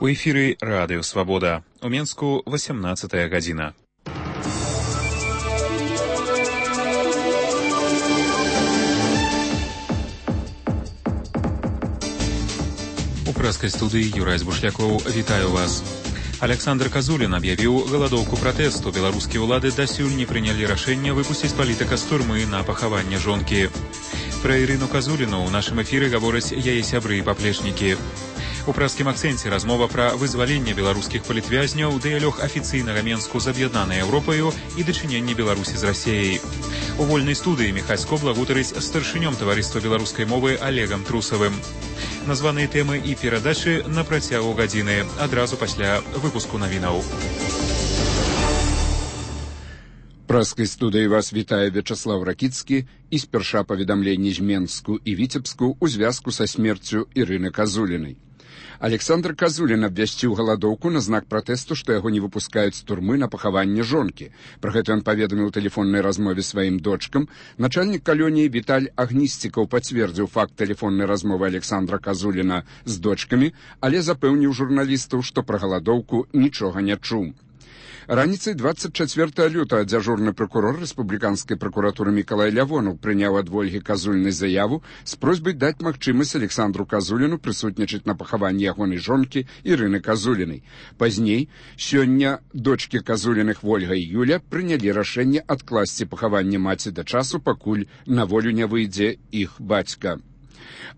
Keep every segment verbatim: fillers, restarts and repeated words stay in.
У эфіры Радыё Свабода. У Менску восемнадцатая гадзіна. У прэскай студыі Юрай Збушлякоў вітаю вас. Александр Казулін аб'явіў галадоўку пратэсту. Беларускія ўлады дасюль не прынялі рашэнне выпусціць палітыка з турмы на пахаванне жонкі. Пра Ірыну Казуліну ў нашым эфіры гавораць яе сябры і паплечнікі. У прэскім акцэнце размова пра вызваленне беларускіх палітвязняў, дыялог афіцыйнага Менску з аб'яднанай Еўропаю і дачыненне Беларусі з Расіяй. У вольнай студыі Міхась Кобла гутарыць з старшынём таварыства беларускай мовы Олегам Трусавым. Названыя тэмы і перадачы на працягу гадзіны, адразу пасля выпуску навінаў. Прэскай студыі вас вітае Вячаслав Ракіцкі і спярша паведамленні з Менску і Віцебску ў звязку са смерцю Ірыны Казулінай. Александр Казулін абвясціў галадоўку на знак пратэсту, што яго не выпускаюць з турмы на пахаванне жонкі. Пра гэта ён паведаміў у тэлефоннай размове сваім дочкам. Начальнік калоніі Віталь Агнісцікаў пацвердзіў факт тэлефоннай размовы Александра Казуліна з дочкамі, але запэўніў журналістаў, што пра галадоўку нічога не чуў. Раніцай двадцать чацвёртага лютага дзяжурны пракурор рэспубліканскай пракуратуры Мікалай Лявонаў прыняў ад Ольгі Казулінай заяву з просьбай даць магчымасць Александру Казуліну прысутнічаць на пахаванні ягонай жонкі Ірыны Казулінай. Пазней, сёння дочкі Казуліных Ольга і Юля прынялі рашэнне адкласці пахаванне маці да часу, пакуль на волю не выйдзе іх бацька.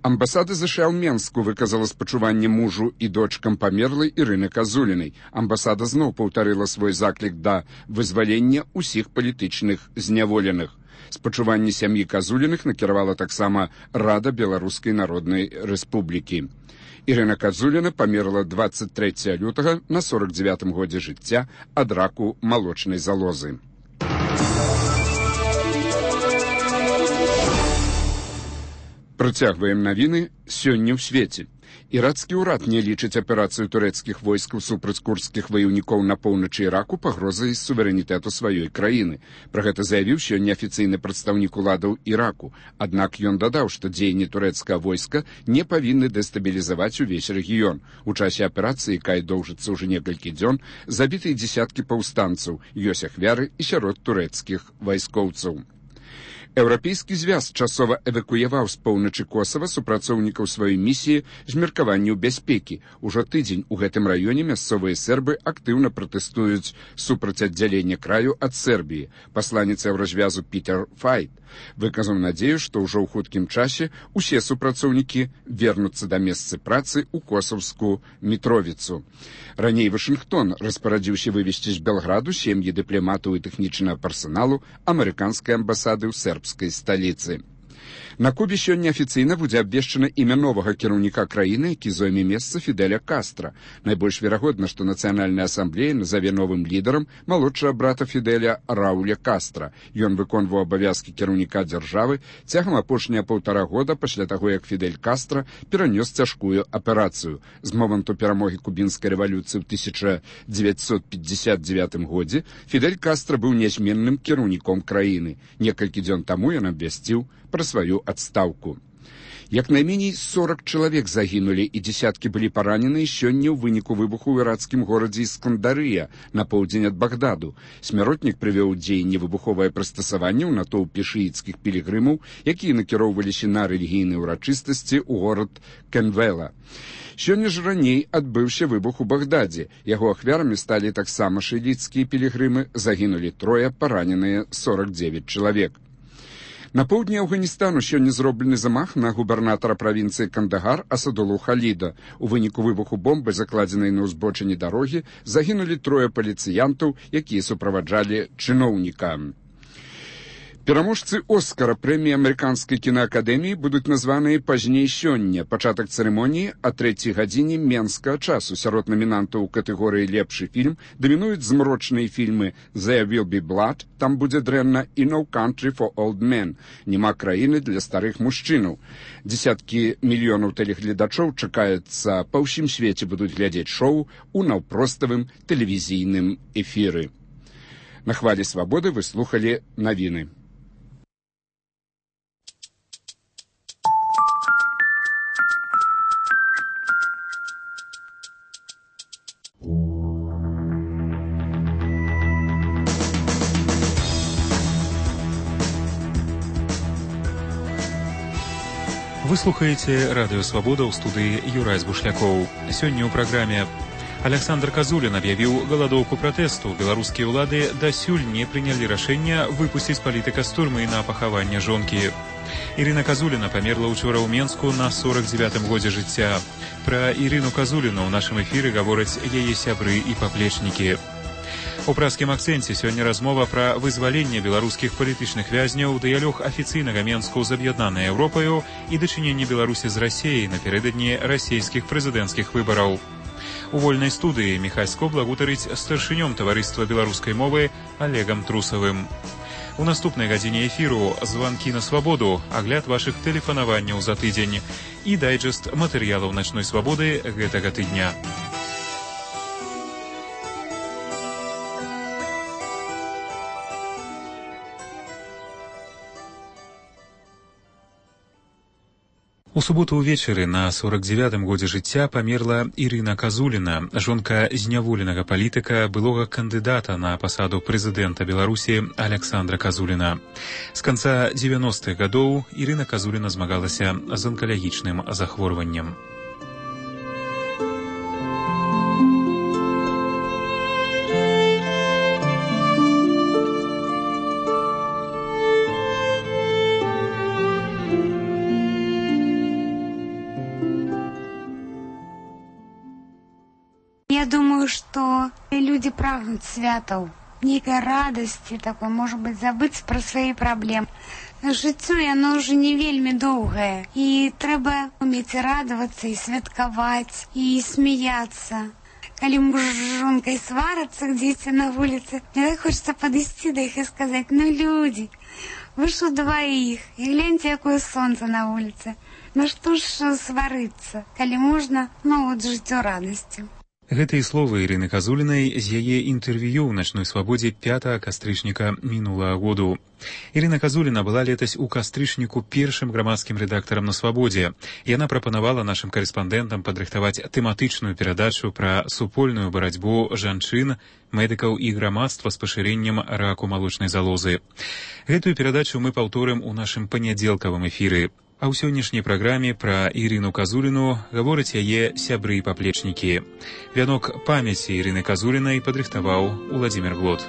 Амбасада ЗША ў Менску выказала спачуванне мужу і дочкам памерлай Ірыны Казулінай. Амбасада зноў паўтарыла свой заклік да вызвалення ўсіх палітычных зняволеных. Спачуванне сям'і Казуліных накіравала таксама Рада Беларускай Народнай Рэспублікі. Ірына Казуліна памерла двадцать трэцяга лютага на сорок дзевятым годзе жыцця ад раку малочнай залозы. Працягваем навіны сёння ў свеце. Ірацкі ўрад не лічыць аперацыю турэцкіх войскаў супраць курдскіх ваяўнікоў на поўначы Іраку пагрозай суверэнітэту сваёй краіны. Пра гэта заявіў сёння афіцыйны прадстаўнік уладаў Іраку. Аднак ён дадаў, што дзеянні турэцкага войска не павінны дэстабілізаваць увесь рэгіён. У часе аперацыі, якая доўжыцца ўжо некалькі дзён, забітыя дзесяткі паўстанцаў, ёсць ахвяры і сярод турэцкіх вайскоўцаў. Еўрапейскі звяз часова эвакуяваў з поўначы Косава супрацоўнікаў сваёй місіі з меркаванняў бяспекі. Ужо тыдзень у гэтым раёне мясцовыя сербы актыўна пратэстуюць супраць аддзялення краю ад Сербіі. Пасланец еўразвязу Пітер Файт выказаў надзею, што ўжо ў хуткім часе усе супрацоўнікі вернуцца да месцы працы ў косаўскую Мітровіцу. Раней Вашынгтон распарадзіўся вывесці з Белграду сем'і дыпламатаў і тэхнічнага персаналу амерыканскай амбасады ў сербскай сталіцы. На Кубе сёння афіцыйна будзе абвешчана імя новага кіраўніка краіны, які зойме месца Фідэля Кастра. Найбольш верагодна, што Нацыянальная асамблея назаве новым лідарам малодшага брата Фідэля Рауля Кастра. Ён выконваў абавязкі кіраўніка дзяржавы цягам апошняга паўтара года пасля таго, як Фідель Кастра перанёс цяжкую аперацыю. З моманту перамогі кубінскай рэвалюцыі ў тысяча дзевяцьсот пятьдесят девятым годзе Фідель Кастра быў нязменным кіраўніком краіны. Некалькі дзён таму ён абвясціў пра сваю адстаўку. Як найменей сорок чалавек загінулі і дзесяткі былі параненыя сёння ў выніку выбуху ў ірацкім горадзе Іскандарыя на поўдзень ад Багдаду. Смяротнік прывёў у дзеянне выбуховае прыстасаванне ў натоўпе шыіцкіх пілігрымаў, якія накіроўваліся на рэлігійныя ўрачыстасці ў горад Кенвела. Сёння ж раней адбыўся выбух у Багдадзе. Яго ахвярамі сталі таксама шыіцкія пілігрымы, загінулі трое, параненыя сорок девять чалавек. На поўдні Афганістану сёння зроблены замах на губернатара правінцыі Кандагар Асадулу Халіда. У выніку выбуху бомбы, закладзенай на ўзбочыне дарогі, загінулі трое паліцыянтаў, якія суправаджалі чыноўніка. Пераможцы Оскара прэміі амерыканскай кінаакадэміі будуць названыя пазней сёння. Пачатак цырымоніі а трэцяй гадзіне менскага часу. Сярод намінантаў у катэгорыі «Лепшы фільм» дамінуюць змрочныя фільмы «There Will Be Blood», «Там будзе дрэнна» і «No Country for Old Men», «Нема краіны для старых мужчынаў». Дзесяткі мільёнаў тэлегледачоў чакаецца па ўсім свеце будуць глядзець шоу у наўпроставым тэлевізійным эфіры. На хвалі свабоды вы слухалі навіны. Вы слухаеце радыё Свабода ў студыі Юрай Бушлякоў. Сёння ў праграме Александр Казулін аб'явіў галадоўку пратэсту. Беларускія ўлады дасюль не прынялі рашэння выпусціць палітыка з турмы на пахаванне жонкі. Ірына Казуліна памерла ўчора ў Менску на сорок дзевятым годзе жыцця. Пра Ірыну Казуліну ў нашым эфіры гавораць яе сябры і паплечнікі. У празкім акцэнце сёння размова пра вызваленне беларускіх палітычных вязняў, дыялог афіцыйнага Менску з аб'яднанай Еўропаю і дачыненне Беларусі з Расіяй напярэдадні расійскіх прэзідэнцкіх выбараў. У вольнай студыі Міхась Скобла гутарыць з старшынём таварыства беларускай мовы Олегам Трусавым. У наступнай гадзіне эфіру званкі на свабоду, агляд вашых тэлефанаванняў за тыдзень і дайджэст матэрыялаў начной свабоды гэтага тыдня. У суботу ўвечары на сорок дзевятым годзе жыцця памерла Ірына Казуліна, жонка зняволенага палітыка, былога кандыдата на пасаду прэзідэнта Беларусі Александра Казуліна. З канца дзевяностых гадоў Ірына Казуліна змагалася з анкалагічным захворваннем. Я думаю, что люди прагнут святаў, некой радости такой, может быть, забыть про свои проблемы. Жыццё, яно уже не вельмі доўгае, і трэба уметь радоваться, и святкаваць, и смеяться. Калі муж с жонкой сварацца где-то на улице, мне так хочется подойти до их и сказать: ну, люди, вы ж у двоих, и гляньте, какое солнце на улице. Ну что ж сварыцца, калі можна, ну вот жыццё радостью. Гэтыя словы Ірыны Казулінай з яе інтэрв'ю ў начной свабодзе пятага кастрычніка мінулага году. Ірына Казуліна была летась у кастрычніку першым грамадскім рэдактарам на свабодзе. Яна прапанавала нашым карэспандэнтам падрыхтаваць тэматычную перадачу пра супольную барацьбу жанчын, медыкаў і грамадства з пашырэннем раку малочнай залозы. Гэтую перадачу мы паўторым у нашым панядзелкавым эфіры. А ў сённяшняй праграме пра Ірыну Казуліну гавораць яе сябры і паплечнікі. Вянок памяці Ірыны Казулінай падрыхтаваў Уладзімір Глот.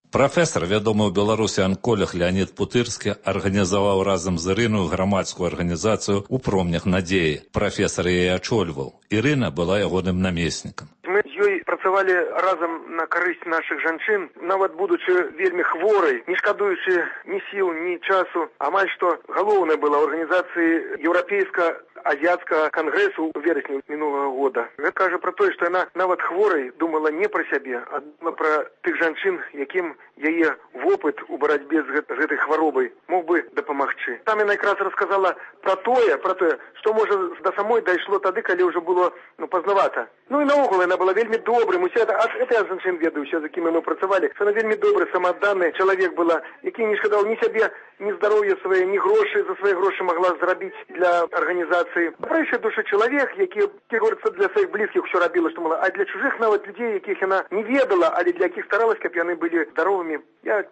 Прафесар, вядомы ў Беларусі анколог Леонід Путырскі, арганізаваў разам з Ірыною грамадскую арганізацыю «У промнях надзеі». Прафесар яе ачольваў. Ірына была ягоным намеснікам. Мы з ёй працавалі разам на карысць нашых жанчын, нават будучы вельмі хворай, не шкадуючы ні сіл, ні часу. Амаль што галоўнае было ў арганізацыі еўрапейска азіяцкага кангрэсу ў верасні мінулага года. Гэта кажа пра тое, што яна нават хворай думала не пра сябе, а думала пра тых жанчын, якім яе вопыт у барацьбе з гэтай хваробай мог бы дапамагчы. Там яна якраз расказала пра тое, пра тое, што можа да самой дайшло тады, калі ўжо было ну пазнавата. Ну і наогул яна была вельмі добрым. Усе это, это я жанчын ведаю, усе, з якімі мы працавалі, што яна вельмі добры, самаадданы чалавек была, які не шкадаў ні сябе, ні здароўя свае, ні грошы, за свае грошы магла зрабіць для арганізацыі. Прайшы душы чалавек, які, які говорится, для сваіх блізкіх усё рабіла, што мала, а для чужых нават людзей, якіх яна не ведала, але для якіх старалась, каб яны былі здаровымі. Я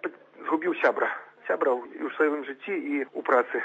згубіў сябра, сябра ў сваім жыцці і ў працы.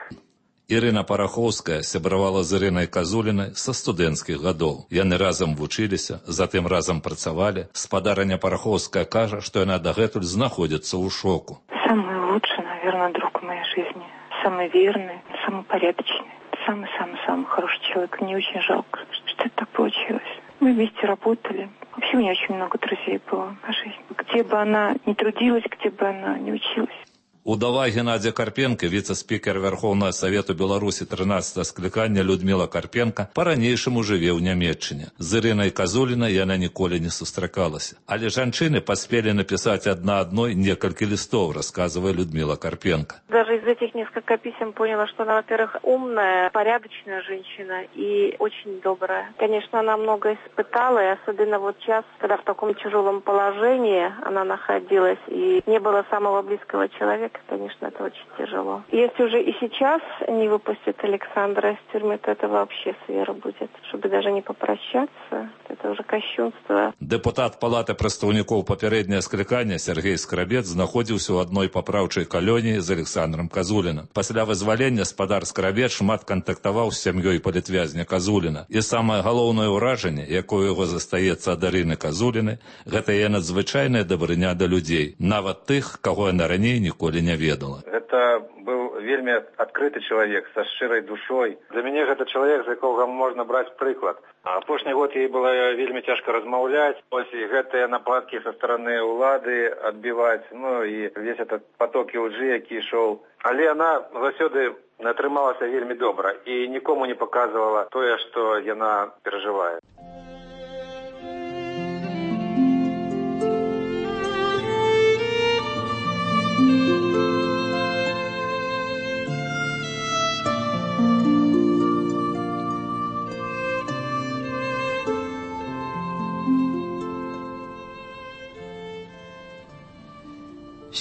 Ірына Парахоўская сябравала з Ірынай Казулінай са студэнцкіх гадоў. Яны разам вучыліся, затым разам працавалі. Спадарыня Парахоўская кажа, што яна дагэтуль знаходзіцца ў шоку. Самый лучший, наверное, друг в моей жизни. Самый верный, самый порядочный. Самый-самый-самый хороший человек. Мне очень жалко, что это так получилось. Мы вместе работали. Вообще у меня очень много друзей было по жизни. Где бы она ни трудилась, где бы она ни училась. Удава Геннадзя Карпенка, віцэ-спікер Верховного Совету Беларусі трынаццатага склікання Людмила Карпенка, па-ранейшаму жыве ў Нямецчыне. З Ірынай Казулінай яна ніколі не сустракалася. Але жанчыны паспелі напісаць адна адной некалькі листов, рассказывая Людмила Карпенка. Даже из этих нескольких писем поняла, что она, во-первых, умная, порядочная женщина и очень добрая. Конечно, она много испытала, и особенно вот сейчас, когда в таком тяжелом положении она находилась, и не было самого близкого человека. конечно, это очень тяжело. Если уже и сейчас не выпустят Александра из тюрьмы, то это вообще свера будет. Чтобы даже не попрощаться, это уже кощунство. Депутат Палаты прадстаўнікоў папярэдняе склікання Сергей Скрабец знаходзіўся ў адной папраўчай калоніі з Александром Казуліным. Пасля вызвалення спадар Скрабец шмат кантактаваў з сям'ёй палітвязня Казуліна. І самае галоўнае ўражанне, якое яго застаецца ад Арыны Казуліны, гэта яе надзвычайная дабрыня да людзей, нават тых, каго яна раней ніколі не ведала. Это быў вельмі адкрыты чалавек са шчырай душой. Для мяне гэта чалавек, з якога можна браць прыклад. Апошні год ей было вельмі цяжка размаўляць, ось і гэтыя нападкі са стараны ўлады адбіваць, ну і весь этот поток лжы, які ішоў. Але яна заўсёды атрымалася вельмі добра і нікому не паказвала тое, што яна перажывае.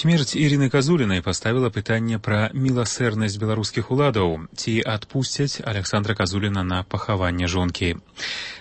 Смерць Ірыны Казулінай паставіла пытанне пра міласэрнасць беларускіх уладаў, ці адпусцяць Александра Казуліна на пахаванне жонкі.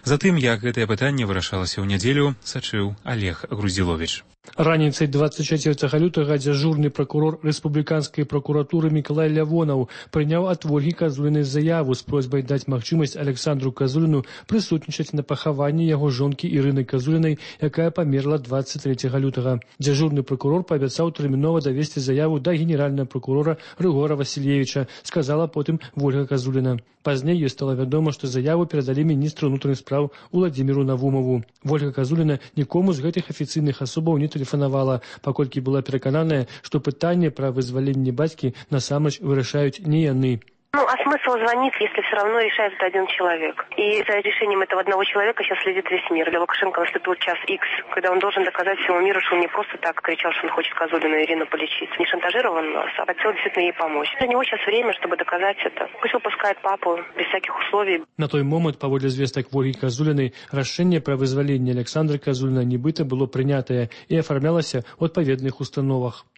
Затым, як гэтае пытанне вырашалася ў нядзелю, сачыў Олег Грузіловіч. Раніцай двадцать четвертого лютага дзяжурны прокурор рэспубліканскай прокуратуры Мікалай Лявонаў прыняў ад Ольгі Казулінай заяву з просьбай даць магчымасць Александру Казуліну прысутнічаць на пахаванні яго жонкі Ірыны Казулінай, якая памерла двадцать третьего лютага. Дзяжурны прокурор паабяцаў тэрмінова давесці заяву да генеральнага прокурора Рыгора Васильевича, сказала потым Ольга Казуліна. Пазней ёй стала вядома, што заяву перадалі міністру ўнутраных спраў Уладзіміру Навумову. Ольга Казуліна нікому з гэтых афіцыйных асобаў не тэлефанавала, паколькі была перакананая, што пытанне пра вызваленне бацькі насамрэч вырашаюць не яны. Ну, а смысл звонить, если все равно решает это один человек? И за решением этого одного человека сейчас следит весь мир. Для Лукашенко наступил час Икс, когда он должен доказать всему миру, что он не просто так кричал, что он хочет Казулину и Ирину полечить. Не шантажировал нас, а хотел действительно ей помочь. Для него сейчас время, чтобы доказать это. Пусть выпускает папу без всяких условий. На той момент, паводле звестак Ольгі Казулінай, рашэнне пра вызваленне Александра Казуліна нібыта было прынятае і афармлялася ў адпаведных установах.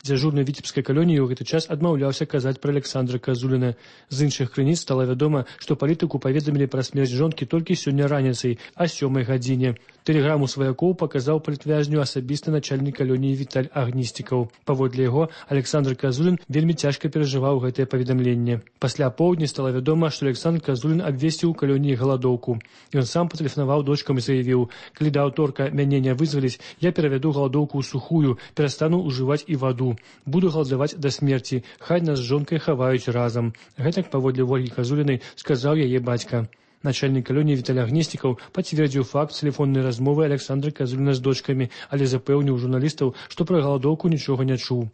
Дзяжурны віцебскай калоніі ў гэты час адмаўляўся казаць пра Александра Казуліна. З іншых крыніц стала вядома, што палітыку паведамілі пра смерць жонкі толькі сёння раніцай, а сёмай гадзіне. Тэлеграму сваякоў паказаў палітвязню асабісты начальнік калоніі Віталь Агністікаў. Паводле яго, Александр Казулін вельмі цяжка перажываў гэтае паведамленне. Пасля поўдні стала вядома, што Александр Казулін абвесціў у калоніі галадоўку. Ён сам патэлефанаваў дочкам і заявіў: «Калі да аўторка мяне не вызваліць, я перавяду галадоўку ў сухую, перастану ўжываць і ваду. Буду галадаваць да смерці, хай нас з жонкай хаваюць разам». Гэтак паводле Ольгі Казулінай сказаў яе бацька. Начальник калоніі Віталь Агністікаў пацвердзіў факт тэлефоннай размовы Александра Казуліна з дочкамі, але запэўніў журналістаў, што пра галадоўку нічога не чуў.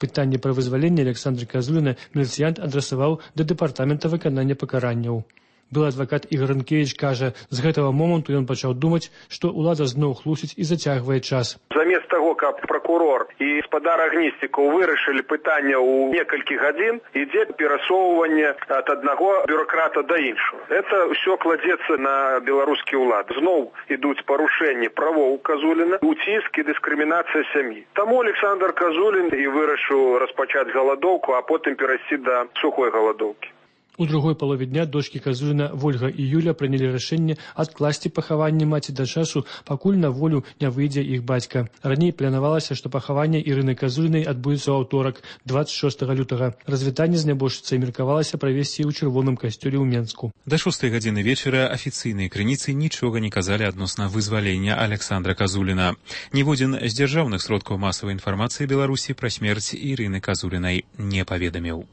Пытанне пра вызваленне Александра Казуліна міліцыянт адрасаваў да дэпартамента выканання пакаранняў. Былы адвакат Ігор Рынкевіч кажа, з гэтага моманту ён пачаў думаць, што ўлада зноў хлусіць і зацягвае час. Замест таго, каб прокурор і спадар Агністікаў вырашылі пытанне ў некалькі гадзін, ідзе перасоўванне ад аднаго бюрократа да іншого. Это ўсё кладзецца на беларускі ўлад. Зноў ідуць парушэнні правоў Казуліна, уціск і дыскрымінацыя сям'і. Таму Александр Казулін і вырашыў распачаць галадоўку, а потым перайсці да сухой галадоўкі. У другой палове дня дочкі Казуліна Вольга і Юля прынялі рашэнне адкласці пахаванне маці да часу, пакуль на волю не выйдзе іх бацька. Раней планавалася, што пахаванне Ірыны Казулінай адбудзецца ў аўторак, двадцать шостого лютага. Развітанне з нябожчыцай меркавалася правесці ў чырвоным касцёле ў Менску. Да шостай гадзіны вечара афіцыйныя крыніцы нічога не казалі адносна вызвалення Александра Казуліна. Ніводзін з дзяржаўных сродкаў масавай інфармацыі Беларусі пра смерць Ірыны Казулінай не паведаміў.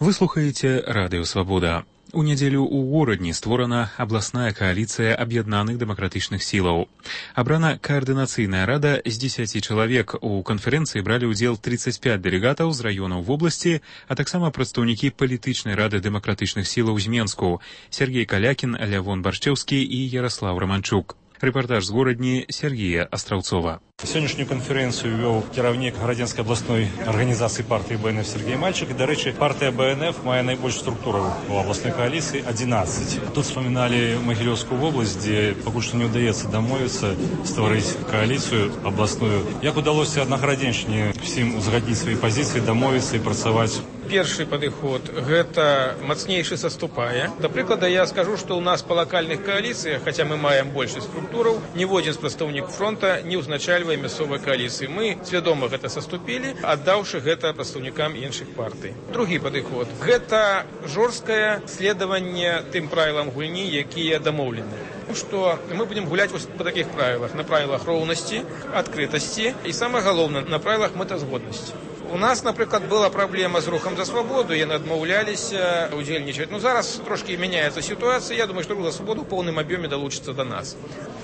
Вы слухаеце Радыё Свабода. У нядзелю ў горадні створана абласная кааліцыя аб'яднаных дэмакратычных сілаў. Абрана каардынацыйная рада з дзесяці чалавек. У канферэнцыі бралі ўдзел тридцать пять дэлегатаў з раёнаў вобласці, а таксама прадстаўнікі палітычнай рады дэмакратычных сілаў з Менску: Сергей Калякін, Лявон Баршчэўскі і Яраслаў Раманчук. Рэпартаж з горадні Сергея Астраўцова. Сённяшнюю канферэнцыю вёў кіраўнік Гарадзенскай абласной арганізацыі партыі БНФ Сергей Мальчик. І, дарэчы, партыя БНФ мае найбольш структураў у абласной кааліцыі адзінаццаць. Тут вспаміналі Магілёўскую вобласць, дзе пакуль што не ўдаецца дамовіцца стварыць кааліцыю абласную. Як удалося на Гарадзеншчыне всім узгадніць свае пазіцыі, дамовіцца і працаваць? Першы падыход – гэта мацнейшы саступае. Да прыклада, я скажу, што ў нас па лакальных кааліцыях, хаця мы маем большасць структураў, ніводзін з прадстаўнікаў фронта не ўзначальвае мясцовай кааліцыі. Мы свядома гэта саступілі, аддаўшы гэта прадстаўнікам іншых партый. Другі падыход – гэта жорсткае следаванне тым правілам гульні, якія дамоўлены. Што мы будзем гуляць па такіх правілах, на правілах роўнасці, адкрытасці і, самае галоўнае, на правілах мэтазгоднасці. У нас, напрыклад, была праблема з рухам за свабоду, яны адмаўляліся удзельнічаць. Ну, зараз трошкі мяняецца сітуацыя. Я думаю, што рух за свабоду ў поўным аб'ёме далучыцца да нас.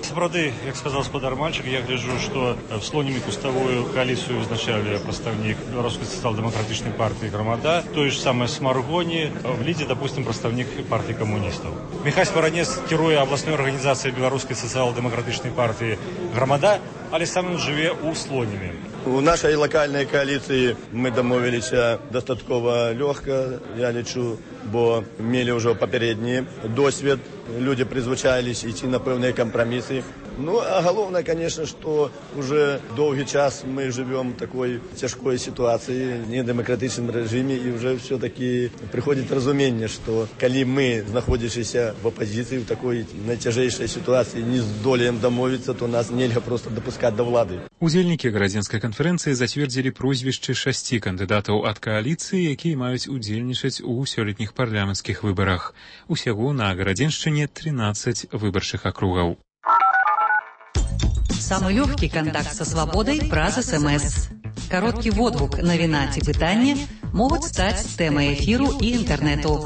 Сапраўды, як сказаў гаспадар Мальчик, я гляджу, што в Слоніме куставую кааліцыю вызначалі прадстаўнік Беларускай сацыял-дэмакратычнай партыі «Грамада», тое ж самае з Маргоні, в лідзе, допустим, прадстаўнік партыі камуністаў. Міхась Варанец кіруе абласной арганізацыяй Беларускай сацыял-дэмакратычнай партыі «Грамада», але сам ён жыве ў Слоніме. У нашай лакальнай кааліцыі мы дамовіліся дастаткова лёгка, я лічу, бо мелі ўжо папярэдні досвед, людзі прызвычаіліся ісці на пэўныя кампрамісы. Ну, а галоўнае, конечно, што уже доўгі час мы жывём такой цяжкой сітуацыі, недэмакратычным рэжыме, і ўжо все-таки прыходзіць разуменне, што калі мы, знаходзячыся в апазіцыі, в такой найцяжэйшай сітуацыі, не здолеем дамовіцца, то нас нельга проста дапускаць да ўлады. Удзельнікі гарадзенскай канферэнцыі зацвердзілі прозвішчы шасці кандыдатаў ад кааліцыі, якія маюць удзельнічаць у сёлетніх парламенцкіх выбарах. Усяго на Гарадзеншчыне тринадцать выбарчых акругаў. Самый легкий контакт со свободой праз СМС. Короткий водгук навіна ці пытанне могуць стаць тэмай эфіру і інтэрнэту.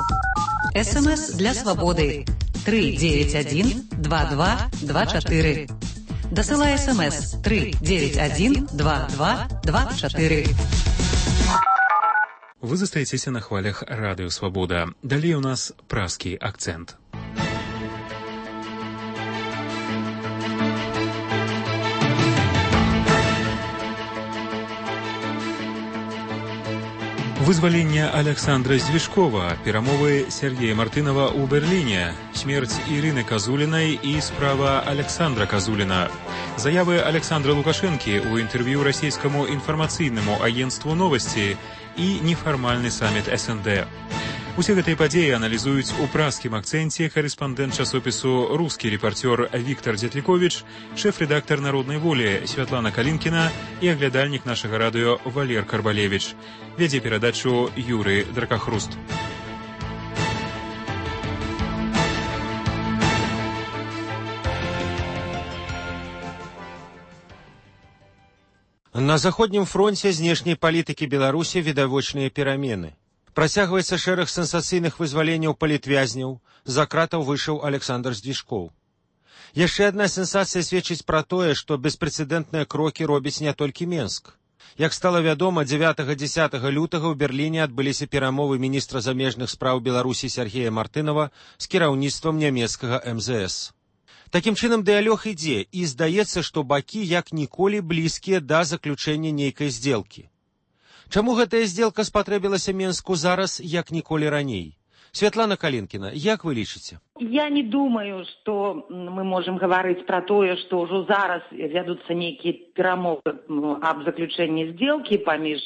СМС для свободы три девять один два два два четыре. Дасылай СМС три девять один два два два четыре. Вы застаецеся на хвалях радыё Свабода. Далей у нас пражскі акцэнт. Вызваленне Александра Звішкова, перамовы Сергея Мартынова ў Берліне, смерць Ірыны Казулінай і справа Александра Казуліна. Заявы Александра Лукашэнкі ў інтэрв'ю расійскаму інфармацыйнаму агенцтву «Новасці» і нефармальны саміт эс эн дэ. Усе гэтыя падзеі аналізуюць у пражскім акцэнце карэспандэнт часопісу «Рускі рэпарцёр» Віктор Дзетліковіч, шэф-рэдактар «Народнай волі» Святлана Калінкіна і аглядальнік нашага радыё Валер Карбалевіч. Вядзе перадачу Юрый Дракахруст. На заходнім фронце знешняй палітыкі Беларусі відавочныя перамены. Працягваецца шэраг сенсацыйных вызваленняў палітвязняў, за кратаў выйшаў Александр Звішкоў. Яшчэ адна сенсацыя сведчыць пра тое, што беспрэцэдэнтныя крокі робіць не толькі Менск. Як стала вядома, дзевятага-дзесятага лютага ў Берліне адбыліся перамовы міністра замежных спраў Беларусі Сергея Мартынова з кіраўніцтвам нямецкага эм зэ эс. Такім чынам, дыялог ідзе, і здаецца, што бакі як ніколі блізкія да заключэння нейкай здзелкі. Чаму гэтая здзелка спатрэбілася Менску зараз, як ніколі раней? Святлана Калінкіна, як вы лічыце? Я не думаю, што мы можам гаварыць пра тое, што ўжо зараз вядуцца нейкія перамовы аб заключэнні здзелкі паміж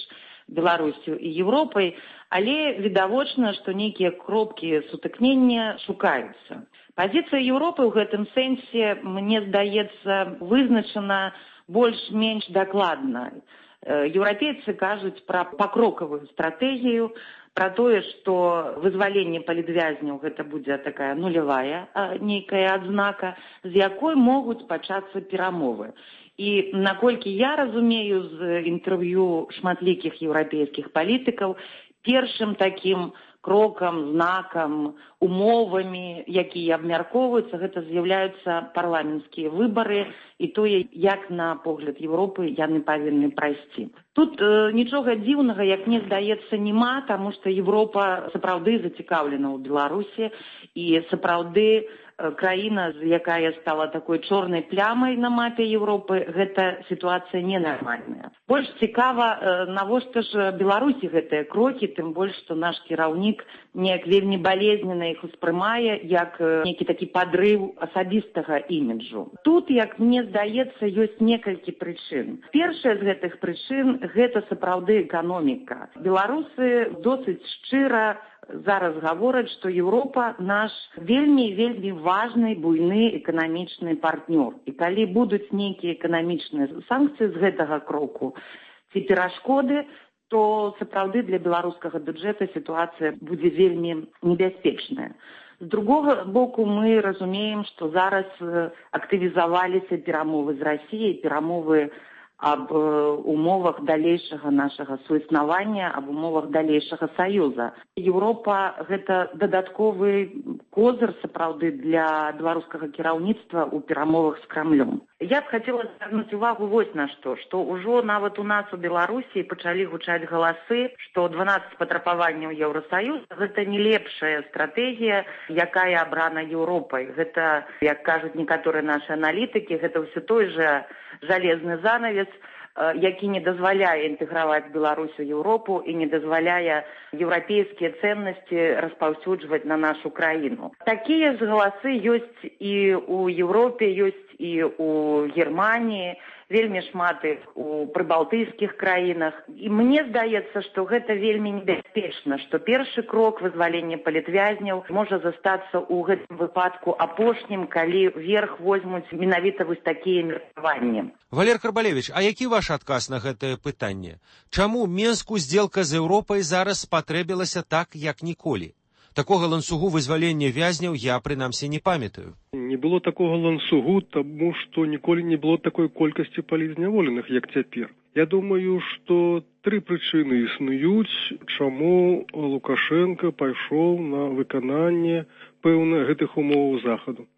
Беларусю і Еўропай, але відавочна, што нейкія кропкі сутыкнення шукаюцца. Пазіцыя Еўропы ў гэтым сэнсе, мне здаецца, вызначана больш-менш дакладна. Еўрапейцы кажуць пра пакрокавую стратэгію, пра тое, што вызваленне палітвязняў гэта будзе такая нулявая нейкая адзнака, з якой могуць пачацца перамовы. І наколькі я разумею з інтэрв'ю шматлікіх еўрапейскіх палітыкаў, першым такім крокам, знакам, умовамі, якія абмяркоўваюцца, гэта з'яўляюцца парламенцкія выбары і тое, як на погляд Еўропы яны павінны прайсці. Тут э, нічога дзіўнага, як мне здаецца, няма, таму што Еўропа сапраўды зацікаўлена ў Беларусі і сапраўды краіна, якая стала такой чорнай плямай на мапе Еўропы, гэта сітуацыя ненармальная. Больш цікава, навошта ж Беларусі гэтыя крокі, тым больш, што наш кіраўнік неяк вельмі балезнена іх успрымае, як нейкі такі падрыў асабістага іміджу. Тут, як мне здаецца, ёсць некалькі прычын. Першая з гэтых прычын – гэта сапраўды эканоміка. Беларусы досыць шчыра зараз гавораць, што Еўропа наш вельмі-вельмі важны, буйны эканамічны партнёр. І калі будуць нейкія эканамічныя санкцыі з гэтага кроку ці перашкоды, то сапраўды для беларускага бюджэта сітуацыя будзе вельмі небяспечная. З другога боку, мы разумеем, што зараз актывізаваліся перамовы з Расіяй, перамовы аб умовах далейшага нашага суіснавання, аб умовах далейшага саюза. Еўропа – гэта дадатковы козыр, сапраўды, для беларускага кіраўніцтва ў перамовах з Крамлём. Я б хацела звярнуць увагу вось на што, што ўжо нават у нас у Беларусі пачалі гучаць галасы, што дванаццаць патрабаванняў Еўрасаюза – гэта не лепшая стратэгія, якая абрана Еўропай. Гэта, як кажуць некаторыя нашы аналітыкі, гэта ўсё той жа жалезны занавес, які не дазваляе інтэграваць Беларусь у Еўропу і не дазваляе еўрапейскія ценнасці распаўсюджваць на нашу краіну. Такія ж галасы ёсць і ў Еўропе, ёсць і ў Германіі, вельмі шмат іх у прыбалтыйскіх краінах. І мне здаецца, што гэта вельмі небяспечна, што першы крок вызвалення палітвязняў можа застацца ў гэтым выпадку апошнім, калі верх возьмуць менавіта вось такія меркаванні. Валер Карбалевіч, а які ваш адказ на гэтае пытанне? Чаму Менску здзелка з Еўропай зараз спатрэбілася так, як ніколі? Такога ланцугу вызвалення вязняў я, прынамсі, не памятаю. Не было такога ланцугу, таму што ніколі не было такой колькасці палізняволеных, як цяпер. Я думаю, што тры прычыны існуюць, чаму Лукашенко пайшоў на выкананне пэўна гэтых умоваў захаду.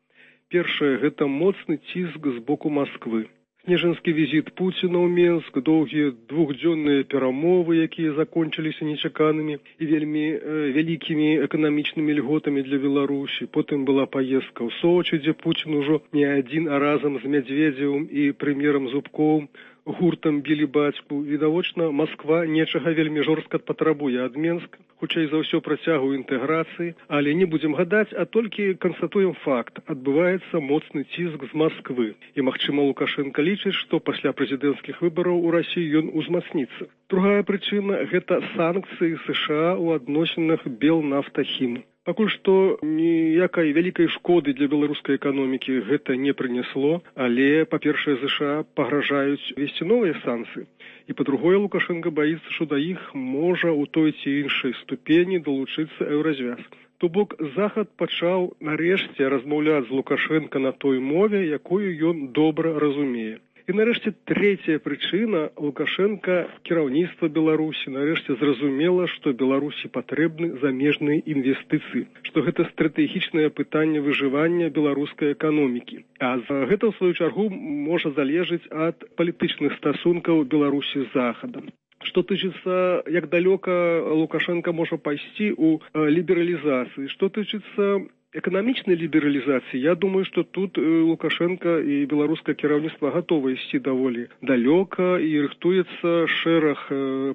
Першае – гэта моцны ціск з боку Масквы. Снежанскі візіт Пуціна ў Менск, доўгія двухдзённыя перамовы, якія закончыліся нечаканымі і вельмі э, вялікімі эканамічнымі льготамі для Беларусі. Потым была паездка ў Сочы, дзе Пуцін ужо не адзін, а разам з Мядзведзевым і прэм'ерам Зубковым гуртам білі бацьку. Відавочна, Масква нечага вельмі жорстка патрабуе ад Менска, хутчэй за ўсё працягу інтэграцыі, але не будзем гадаць, а толькі канстатуем факт. Адбываецца моцны ціск з Масквы. І, магчыма, Лукашенко лічыць, што пасля прэзідэнцкіх выбараў у Расіі ён узмацніцца. Другая прычына – гэта санкцыі США ў адносінах Белнафтахім. Пакуль што ніякай вялікай шкоды для беларускай эканомікі гэта не прынесло, але, па-першае, ЗША пагражаюць весці новыя санкцыі. І, па-другое, Лукашенко баіцца, што да іх можа ў той ці іншай ступені далучыцца еўразвяз. То бок, Захад пачаў нарэшце размаўляць з Лукашенко на той мове, якую ён добра разумее. І нарэшце трэцяя прычына – Лукашенко, кіраўніцтва Беларусі, нарэшце зразумела, што Беларусі патрэбны замежныя інвестыцыі, што гэта стратэгічнае пытанне выжывання беларускай эканомікі. А гэта, ў сваю чаргу, можа залежыць ад палітычных стасункаў Беларусі з Захадам. Што тычыцца, як далёка Лукашенко можа пайсці ў лібералізацыі, што тычыцца эканамічнай лібералізацыі, я думаю, што тут Лукашенко і беларускае кіраўніцтва гатова ісці даволі далёка і рыхтуецца шэраг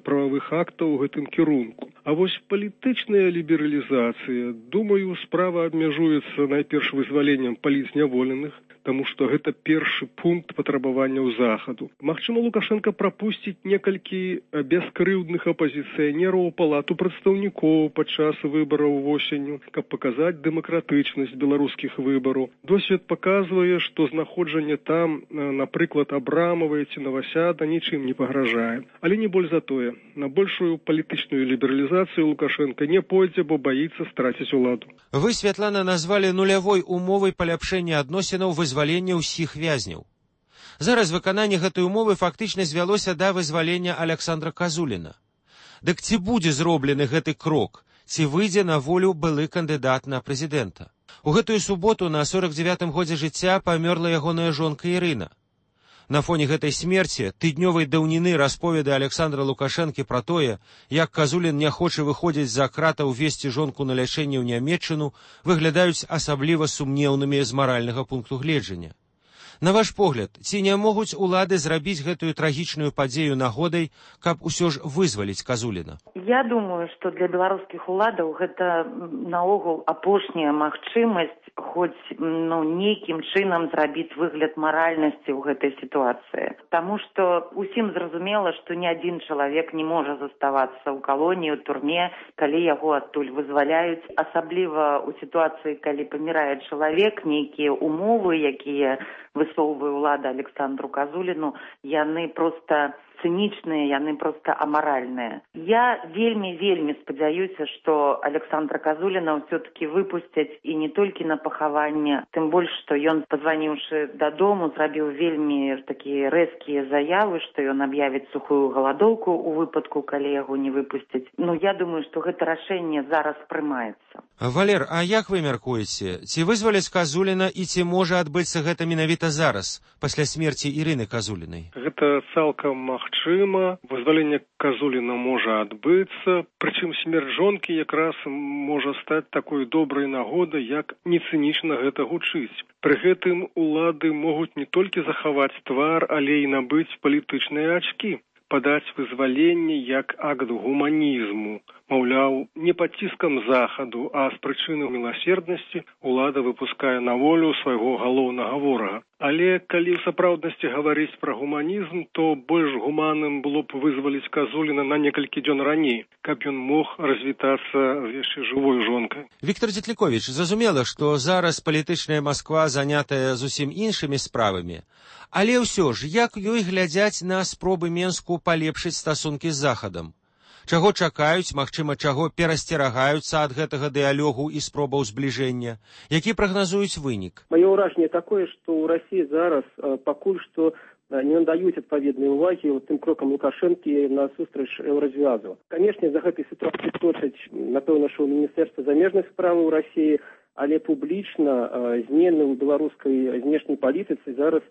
прававых актаў у гэтым кірунку. А вось палітычная лібералізацыя, думаю, справа абмяжуецца найперш вызваленнем палізняволеных, таму што гэта першы пункт патрабаванняў Захаду. Магчыма, Лукашенко прапусціць некалькі бескрыўдных апазіцыянераў у палату прадстаўнікоў падчас выбараў восенню, каб паказаць дэмакратычнасць беларускіх выбараў. Досвед паказвае, што знаходжанне там, напрыклад, Абрамавай ці Новасяда нічым не пагражае. Але не больш за тое. На большую палітычную лібералізацыю Лукашенко не пойдзе, бо баіцца страціць уладу. Вы, Святлана, назвалі нулявой умовай паляпшэння адносінаў вызвалення ўсіх вязняў. Зараз выкананне гэтай умовы фактычна звялося да вызвалення Александра Казуліна. Дык ці будзе зроблены гэты крок? ці выйдзе на волю былы кандыдат на прэзідэнта. У гэтую суботу на сорок дзевятым годзе жыцця памёрла ягоная жонка Ірына. На фоне гэтай смерці тыднёвай даўніны расповеды Александра Лукашэнкі пра тое, як Казулін не хоча выходзіць за кратаў весці жонку на лячэнне ў Нямецчыну, выглядаюць асабліва сумнеўнымі з маральнага пункту гледжання. На ваш погляд, ці не могуць улады зрабіць гэтую трагічную падзею нагодай, каб усё ж вызваліць Казуліна? Я думаю, што для беларускіх уладаў гэта наогул апошняя магчымасць хоць ну, нейкім чынам зрабіць выгляд маральнасці ў гэтай сітуацыі. Таму што усім зразумела, што ні адзін чалавек не можа заставацца ў калоніі, ў турме, калі яго адтуль вызваляюць. Асабліва ў сітуацыі, калі памірае чалавек, нейкія умовы, якія высоўвае ўлада Александру Казуліну, яны проста цынічныя, яны проста амаральныя. Я вельмі-вельмі спадзяюся, што Александра Казуліна ўсё-такі выпусцяць і не толькі на пахаванне, тым больш, што ён, пазваніўшы дадому, зрабіў вельмі такія рэзкія заявы, што ён аб'явіць сухую галадоўку ў выпадку, калі яго не выпусцяць. Ну, я думаю, што гэта рашэнне зараз прымаецца. Валер, а як вы мяркуеце, ці вызваляць Казуліна і ці можа адбыцца гэта менавіта зараз, пасля смерці Ірыны Казулінай? Гэта цалкам магчыма. Вызваленне Казуліна можа адбыцца, прычым смерць жонкі якраз можа стаць такой добрай нагодай, як не цынічна гэта гучыць. Пры гэтым улады могуць не толькі захаваць твар, але і набыць палітычныя ачкі, падаць вызваленне як акт гуманізму. Маўляў, не пад ціскам захаду, а з прычыны міласерднасці улада выпускае на волю свайго галоўнага ворага. Але калі ў сапраўднасці гаварыць пра гуманізм, то больш гуманным было б вызваліць Казуліна на некалькі дзён раней, каб ён мог развітацца з яшчэ жывой жонкай. Віктор Дзетліковіч, зразумела, што зараз палітычная Масква занятая зусім іншымі справамі. Але ўсё ж, як ёй глядзяць на спробы Менску палепшыць стасункі з Захадам? Чаго чакаюць, магчыма, чаго перасцерагаюцца ад гэтага дыялогу і спробаў збліжэння? Які прагназуюць вынік? Маё ўражанне такое, што ў Расіі зараз пакуль што не надаюць адпаведнай увагі тым крокам Лукашэнкі насустрач еўразвязу. Канешне, за гэтай сітуацыяй точаць, напэўна, што ў Міністэрства замежных справаў Расіі, але публічна змены ў беларускай знешняй палітыцы зараз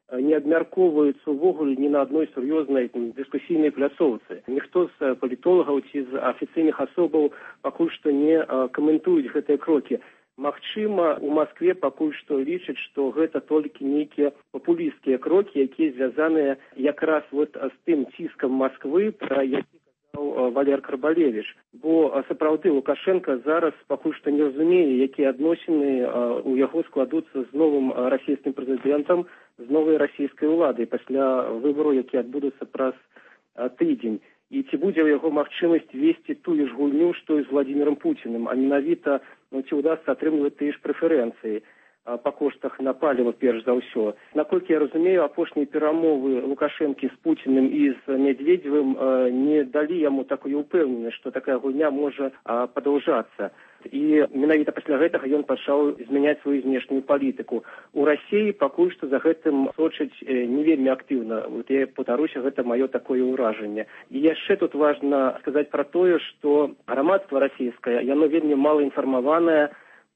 не абмяркоўваюцца ўвогуле ні на адной сур'ёзнай дыскусійнай пляцоўцы. Ніхто з палітолагаў ці з афіцыйных асобаў пакуль што не каментуюць гэтыя крокі. Магчыма, у Маскве пакуль што лічаць, што гэта толькі нейкія папулісцкія крокі, якія звязаныя якраз вот з тым ціскам Масквы, пра які казаў Валер Карбалевіч. Бо сапраўды Лукашенко зараз пакуль што не разумее, якія адносіны у яго складуцца з новым расійскім прэзідэнтам, з новай расійскай уладай пасля выбару, які адбудуцца праз тыдзень. І ці будзе ў яго магчымасць весці тую ж гульню, што і з Владзімірам Пуціным, а менавіта ну, ці ўдасца атрымліваць тыя ж прэферэнцыі па коштах на паліва, перш за ўсё. Наколькі я разумею, апошнія перамовы Лукашэнкі з Пуціным і з Медведзевым не далі яму такую ўпэўненасць, што такая гульня можа падаўжацца. І менавіта пасля гэтага ён пачаў змяняць сваю знешнюю палітыку. У Расіі пакуль што за гэтым сочыць не вельмі актыўна. Вот я паўтаруся, гэта маё такое ўражанне. І яшчэ тут важна сказаць пра тое, што грамадства расійскае, яно вельмі мала інфармаванае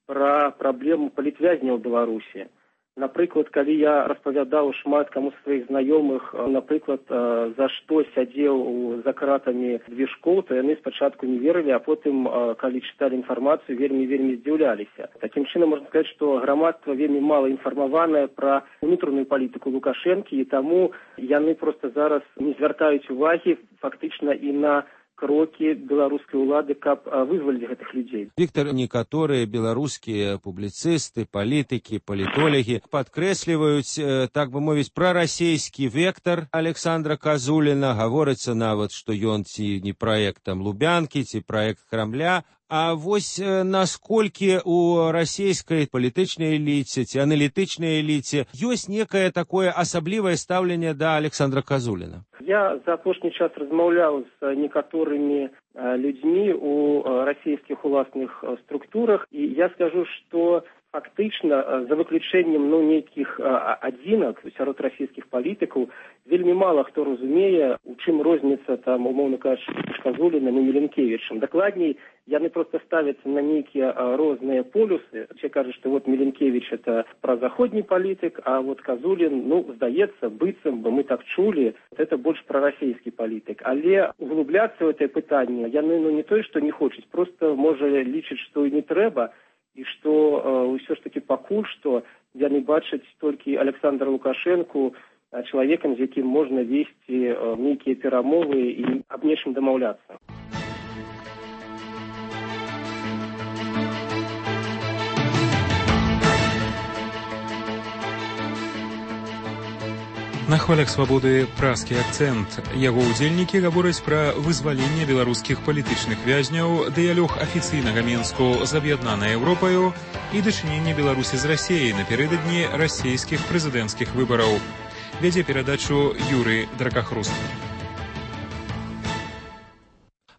пра праблему палітвязняў у Беларусі. Напрыклад, калі я распавядаў шмат каму з сваіх знаёмых, напрыклад, за што сядзеў за кратамі Движкоў, то яны спачатку не верылі, а потым, калі чыталі інфармацыю, вельмі-вельмі здзіўляліся. Такім чынам можна сказаць, што грамадства вельмі мала інфармаванае пра унутраную палітыку Лукашэнкі, і таму яны проста зараз не звяртаюць увагі фактычна і на крокі беларускай улады, каб вызваліць гэтых людзей. Віктор, некаторыя беларускія публіцысты, палітыкі, палітолягі падкрэсліваюць, так бы мовіць, прарасійскі вектар Александра Казуліна. Гаворыцца нават, што ён ці не праект там Лубянкі, ці праект Крамля. А вось насколькі у расійскай палітычнай эліце ці аналітычнай эліце ёсць некае такое асаблівае стаўленне да Александра Казуліна? Я за апошні час размаўляў з некаторымі людзьмі у расійскіх уласных структурах, і я скажу, што Фактычна, за выключэннем ну, нейкіх адзінак сярод расійскіх палітыкаў, вельмі мала хто разумее, у чым розніца, там, умоўна кажучы, Казуліным і Міленкевічам. Дакладней, яны проста ставяцца на нейкія розныя полюсы. Все кажуць, што вот Міленкевіч – это празаходні палітык, а вот Казулін, ну, здаецца, быццам бы мы так чулі, это больш прарасійскі палітык. Але углубляцца ў гэтае пытанне яны ну, не той, што не хочуць, проста можа лічыць, што і не трэба, і што ўсё ж такі пакуль што яны бачаць толькі Александра Лукашэнку чалавекам, з якім можна весці нейкія перамовы і аб нечым дамаўляцца. На хвалях свабоды празкі акцэнт. Яго ўдзельнікі гавораць пра вызваленне беларускіх палітычных вязняў, дыялог афіцыйнага Мінску з аб'яднанай Еўропаю і дачыненне Беларусі з Расіяй напярэдадні расійскіх прэзідэнцкіх выбараў. Вядзе перадачу Юрый Дракахруст.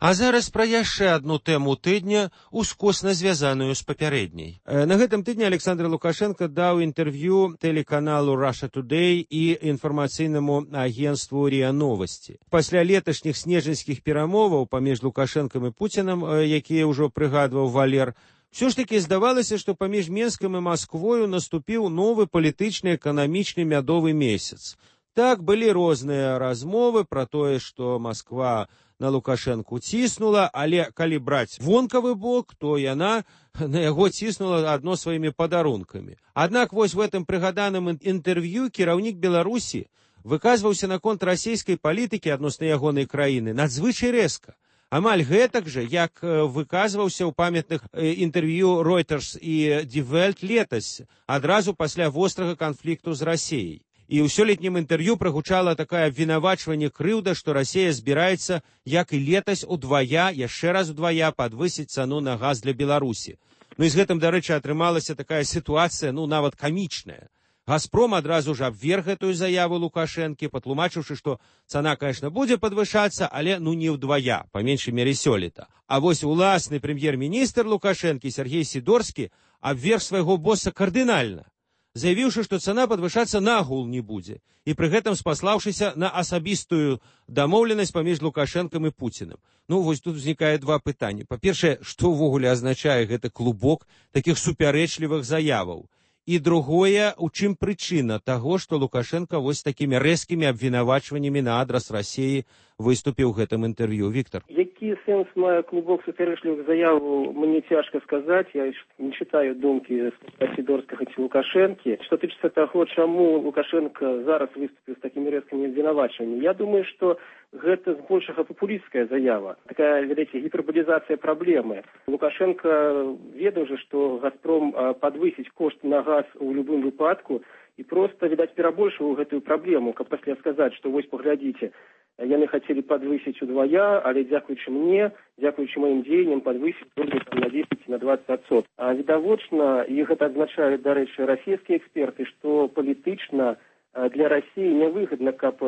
А зараз пра яшчэ адну тэму тыдня, ускосна звязаную з папярэдняй. На гэтым тыдні Александр Лукашенко даў інтэрв'ю тэлеканалу Russia Today і інфармацыйнаму агенству РИА Новости. Пасля леташніх снежаньскіх перамоваў паміж Лукашэнкам і Пуцінам, якія ўжо прыгадваў Валер, все ж таки здавалася, што паміж Менскам і Масквою наступіў новы палітычны эканамічны мядовы месяц. Так, былі розныя размовы пра тое, што Масква на Лукашэнку ціснула, але калі браць вонкавы бок, то яна на яго ціснула адно сваімі падарункамі. Аднак вось в гэтым прыгаданым інтэрв'ю кіраўнік Беларусі выказваўся наконт расійскай палітыкі адносна ягонай краіны надзвычай рэзка. Амаль гэтак жа, як выказваўся ў памятных інтэрв'ю Reuters і Die Welt летась, адразу пасля вострага канфлікту з Расіяй. І ў сёлетнім інтэрв'ю прагучала такое абвінавачванне крыўда, што Расія збіраецца, як і летась, удвая, яшчэ раз удвая падвысіць цану на газ для Беларусі. Ну і з гэтым, дарэчы, атрымалася такая сітуацыя, ну, нават камічная. Газпром адразу ж абверг гэтую заяву Лукашэнкі, патлумачыўшы, што цана, конечно, будзе падвышацца, але ну не ўдвая, па меншай мере сёлета. А вось уласны прэм'ер-міністр Лукашэнкі Сергей Сідорскі абверг свайго боса кардынальна, заявіўшы, што цана падвышацца нагул не будзе, і пры гэтым спаслаўшыся на асабістую дамоўленасць паміж Лукашэнкам і Пуцінам. Ну, вось тут узнікае два пытанні. Па-першае, што ўвогуле азначае гэты клубок такіх супярэчлівых заяваў? І другое, у чым прычына таго, што Лукашенко вось такімі рэзкімі абвінавачваннямі на адрас Расіі выступіў у гэтым інтэрв'ю. Віктор? Які сэнс мае клубок супярэчлівых заяваў, мне цяжка сказаць. Я не чытаю думкі Сідорскага ці Лукашэнкі. Што тычыцца таго, чаму Лукашенко зараз выступіў з такімі рэзкімі абвінавачваннямі, я думаю, што гэта збольшага папулістская заява. Такая, ведаеце, гіперболізацыя праблемы. Лукашенко ведаў же, што Газпром падвысіць кошт на газ у любым выпадку і проста, відаць, перабольшваў гэтую праблему, каб пасля сказаць, што вось паглядзіце, яны хацелі падвысіць удвая, але дзякуючы мне, дзякуючы маім дзеянням падвысіць на дзесяць на дваццаць адсоткаў. А відавочна, і гэта адзначаюць, дарэчы, расійскія эксперты, што палітычна для Расіі нявыгадна, каб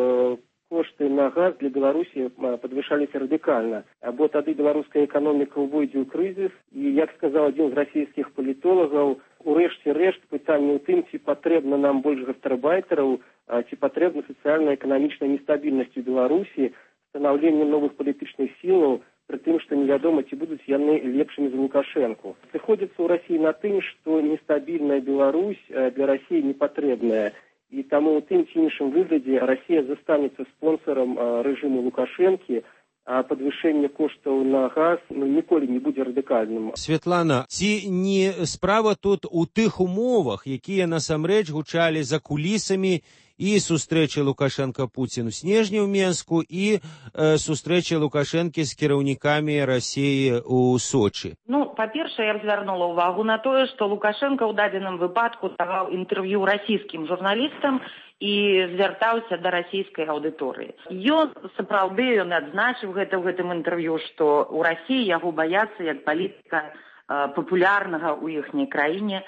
кошты на газ для Беларусі падвышаліся радыкальна, бо тады беларуская эканоміка ўвойдзе ў крызіс, і, як сказаў адзін з расійскіх палітолагаў, у рэшце рэшт пытанне ў тым, ці патрэбна нам больш гастарбайтераў, ці патрэбна сацыяльна-эканамічная нестабільнасць у Беларусі, станаўленне новых палітычных сілаў, пры тым, што невядома, ці будуць яны лепшымі за Лукашэнку. Сыходзіцца ў Расіі на тым, што нестабільная Беларусь для Расіі не патрэбная. І таму ў тым ці іншым выглядзе Расія застанецца спонсорам рэжыму Лукашэнкі, а падвышэнне коштаў на газ ну, ніколі не будзе радыкальным. Светлана, ці не справа тут у тых умовах, якія насамрэч гучалі за кулісамі і сустрэчы Лукашенко-Пуцін у снежні ў Менску і э, сустрэчы Лукашэнкі з кіраўнікамі Расіі ў Сочы? Ну, па-першае, я б звярнула ўвагу на тое, што Лукашенко ў дадзеным выпадку даваў інтэрв'ю расійскім журналістам і звяртаўся да расійскай аўдыторыі. Ён, сапраўды, ён адзначыў гэта ў гэтым інтэрв'ю, што ў Расіі яго баяцца як палітыка э, папулярнага ў іхняй краіне.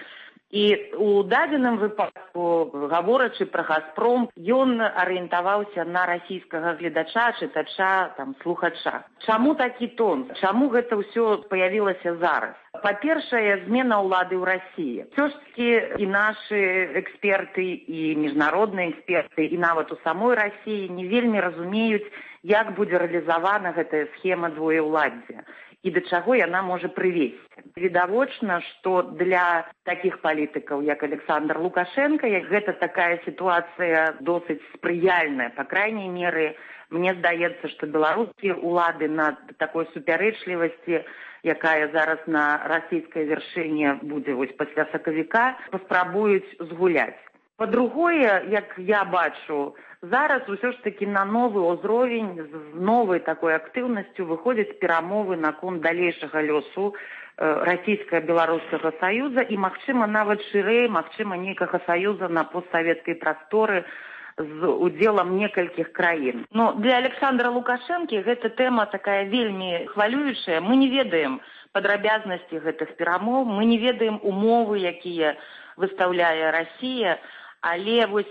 І у дадзеным выпадку, гаворачы пра «Газпром», ён арыентаваўся на расійскага гледача, чытача, там, слухача. Чаму такі тон? Чаму гэта ўсё паявілася зараз? Па-першае, змена ўлады ў Расіі. Ўсё ж такі і нашы эксперты, і міжнародныя эксперты, і нават у самой Расіі не вельмі разумеюць, як будзе рэалізавана гэтая схема двоеўладдзя і да чаго яна можа прывесці. Відавочна, што для такіх палітыкаў, як Александр Лукашенко, гэта такая сітуацыя досыць спрыяльная. Па крайняй меры, мне здаецца, што беларускія ўлады на такой супярэчлівасці, якая зараз на расійскай вяршыні будзе вось пасля сакавіка, паспрабуюць згуляць. Па-другое, як я бачу, зараз усё ж такі на новы ўзровень з новай такой актыўнасцю выходзяць перамовы наконт далейшага лёсу расійска-беларускага саюза і, магчыма, нават шырэй, магчыма, нейкага саюза на постсавецкай прасторы з удзелам некалькіх краін. Но для Александра Лукашэнкі гэта тэма такая вельмі хвалюючая. Мы не ведаем падрабязнасці гэтых перамоў, мы не ведаем умовы, якія выстаўляе Расія, але вось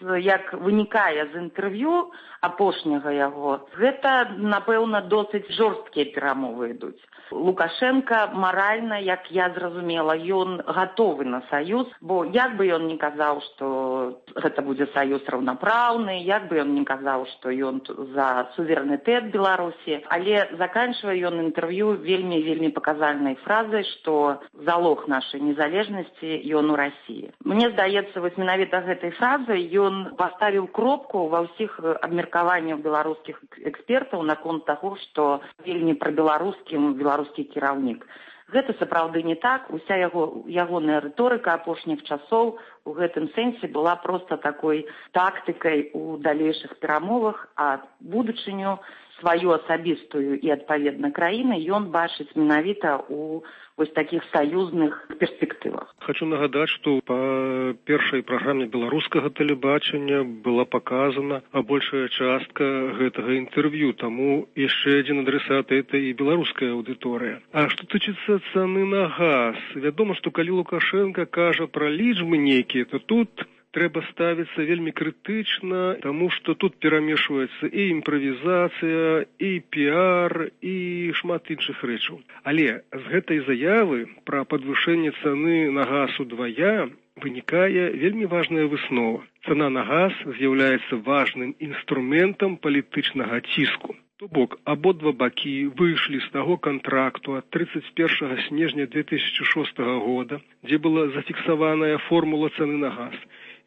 як вынікае з інтэрв'ю апошняга яго, гэта, напэўна, досыць жорсткія перамовы ідуць. Лукашенко маральна, як я зразумела, ён гатовы на саюз, бо як бы ён не казаў, што гэта будзе саюз раўнапраўны, як бы ён не казаў, што ён за суверэнітэт Беларусі, але заканчвае ён інтэрв'ю вельмі-вельмі паказальнай фразай, што залог нашай незалежнасці ён у Расіі. Мне здаецца, вось менавіта гэтай фразай ён паставіў кропку ва ўсіх абмеркаваннях беларускіх экспертаў наконт таго, што вельмі прабеларускім беларускі кіраўнік. Гэта сапраўды не так. Уся яго, ягоная рыторыка апошніх часоў у гэтым сэнсе была проста такой тактыкай у далейшых перамовах, а будучыню сваю асабістую і, адпаведна, краіны ён бачыць менавіта у вось такіх саюзных перспектывах. Хочу нагадаць, што па першай праграме беларускага тэлебачання была паказана большая частка гэтага інтэрв'ю, таму яшчэ адзін адресат это і беларуская аўдыторыя. А што тычыцца цаны на газ, вядома, што калі Лукашенко кажа пра лічбы нейкія, то тут трэба ставіцца вельмі крытычна, таму што тут перамешваецца і імправізацыя, і піар, і шмат іншых рэчаў. Але з гэтай заявы пра падвышэнне цаны на газ удвая вынікае вельмі важная выснова. Цана на газ з'яўляецца важным інструментам палітычнага ціску. То бок, абодва бакі выйшлі з таго кантракту ад тридцать першага снежня две тысячи шостага года, дзе была зафіксаваная формула цаны на газ.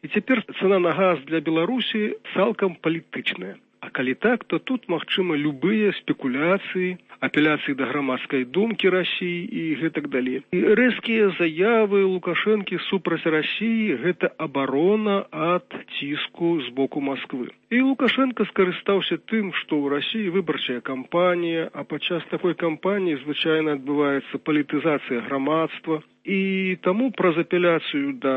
І цяпер цана на газ для Беларусі цалкам палітычная. А калі так, то тут магчыма любыя спекуляцыі, апеляцыі да грамадскай думкі Расіі і гэтак далей. І рэзкія заявы Лукашэнкі супраць Расіі – гэта абарона ад ціску з боку Масквы. І Лукашенко скарыстаўся тым, што ў Расіі выбарчая кампанія, а падчас такой кампаніі звычайна адбываецца палітызацыя грамадства. І таму праз апеляцыю да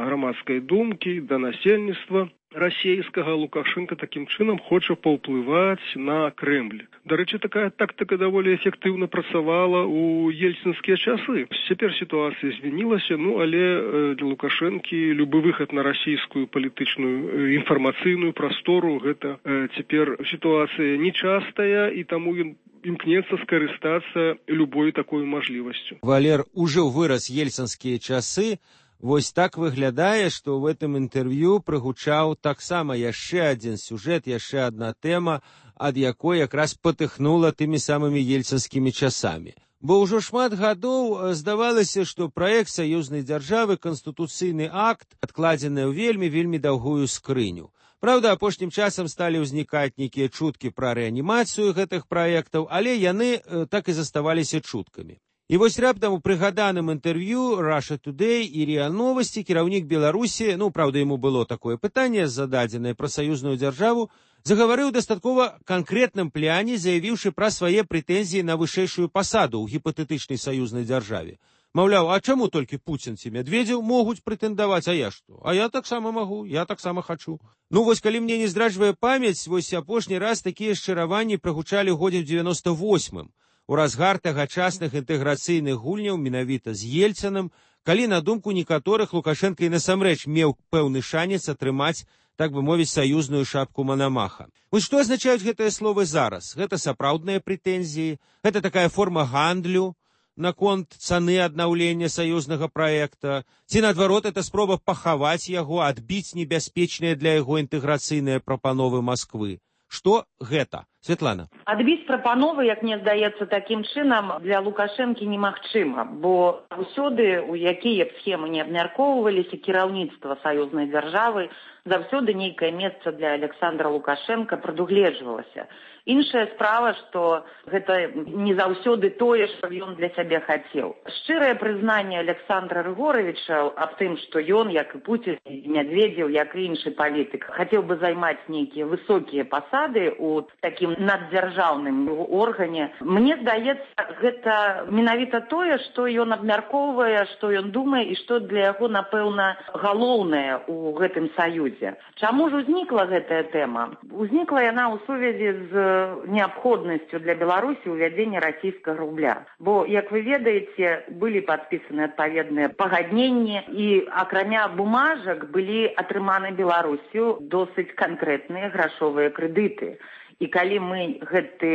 грамадскай думкі, да насельніцтва расійскага Лукашенко такім чынам хоча паўплываць на Крэмль. Дарэчы, такая тактыка даволі эфектыўна працавала ў ельцынскія часы. Цяпер сітуацыя змянілася, ну але для Лукашэнкі любы выхад на расійскую палітычную інфармацыйную прастору гэта цяпер сітуацыя нечастая, і таму ён імкнецца скарыстацца любой такой мажлівасцю. Валер, ужо вырас ельцынскія часы. Вось так выглядае, што ў гэтым інтэрв'ю прыгучаў таксама яшчэ адзін сюжэт, яшчэ адна тэма, ад якой якраз патыхнула тымі самымі ельцынскімі часамі. Бо ўжо шмат гадоў здавалася, што праект саюзнай дзяржавы, канстытуцыйны акт, адкладзены ў вельмі-вельмі даўгую скрыню. Праўда, апошнім часам сталі ўзнікаць нейкія чуткі пра рэанімацыю гэтых праектаў, але яны э, так і заставаліся чуткамі. І вось раптам у прыгаданым інтэрв'ю Russia Today і РИА Новости кіраўнік Беларусі, ну, праўда, яму было такое пытанне зададзенае пра саюзную дзяржаву, загаварыў дастаткова канкрэтным пляне, заявіўшы пра свае прэтэнзіі на вышэйшую пасаду ў гіпатэтычнай саюзнай дзяржаве. Маўляў, а чаму толькі Пуцін ці Медведзеў могуць прэтэндаваць, а я што? А я таксама магу, я таксама хачу. Ну, вось калі мне не здраджвае памяць, вось апошні раз такія шчыраванні прагучалі ў годзе ў девяносто восьмым. У разгар тагачасных інтэграцыйных гульняў менавіта з Ельцынам, калі на думку некаторых Лукашенко і насамрэч меў пэўны шанец атрымаць, так бы мовіць, саюзную шапку Манамаха. Вось што азначаюць гэтыя словы зараз? Гэта сапраўдныя прэтэнзіі, гэта такая форма гандлю наконт цаны аднаўлення саюзнага праекта, ці, наадварот, это спроба пахаваць яго, адбіць небяспечныя для яго інтэграцыйныя прапановы Масквы. Што гэта? Святлана. Адбіць прапановы, як мне здаецца, такім чынам для Лукашэнкі немагчыма, бо заўсёды, у якія б схемы не абмяркоўваліся, кіраўніцтва саюзнай дзяржавы, заўсёды нейкае месца для Александра Лукашенка прадугледжвалася. Іншая справа, што гэта не заўсёды тое, што ён для сябе хацеў. Шчырае прызнанне Александра Рыгоровича аб тым, што ён, як і Пуцін, і Медведзеў, як і іншы палітык, хацеў бы займаць нейкія высокія пасады ў такім наддзяржаўным органе. Мне здаецца, гэта менавіта тое, што ён абмяркоўвае, што ён думае і што для яго, напэўна, галоўнае ў гэтым саюзе. Чаму ж узнікла гэтая тэма? Узнікла яна ў сувязі з неабходнасцю для Беларусі ўвядзення расійскага рубля. Бо, як вы ведаеце, былі падпісаны адпаведныя пагадненні і, акрамя бумажак, былі атрыманы Беларусю досыць канкрэтныя грашовыя крэдыты. І калі мы гэты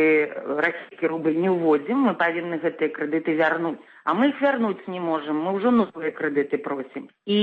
расійскі рубль не ўводзім, мы павінны гэтыя крэдыты вярнуць. А мы іх вярнуць не можам, мы ўжо новыя крэдыты просім. І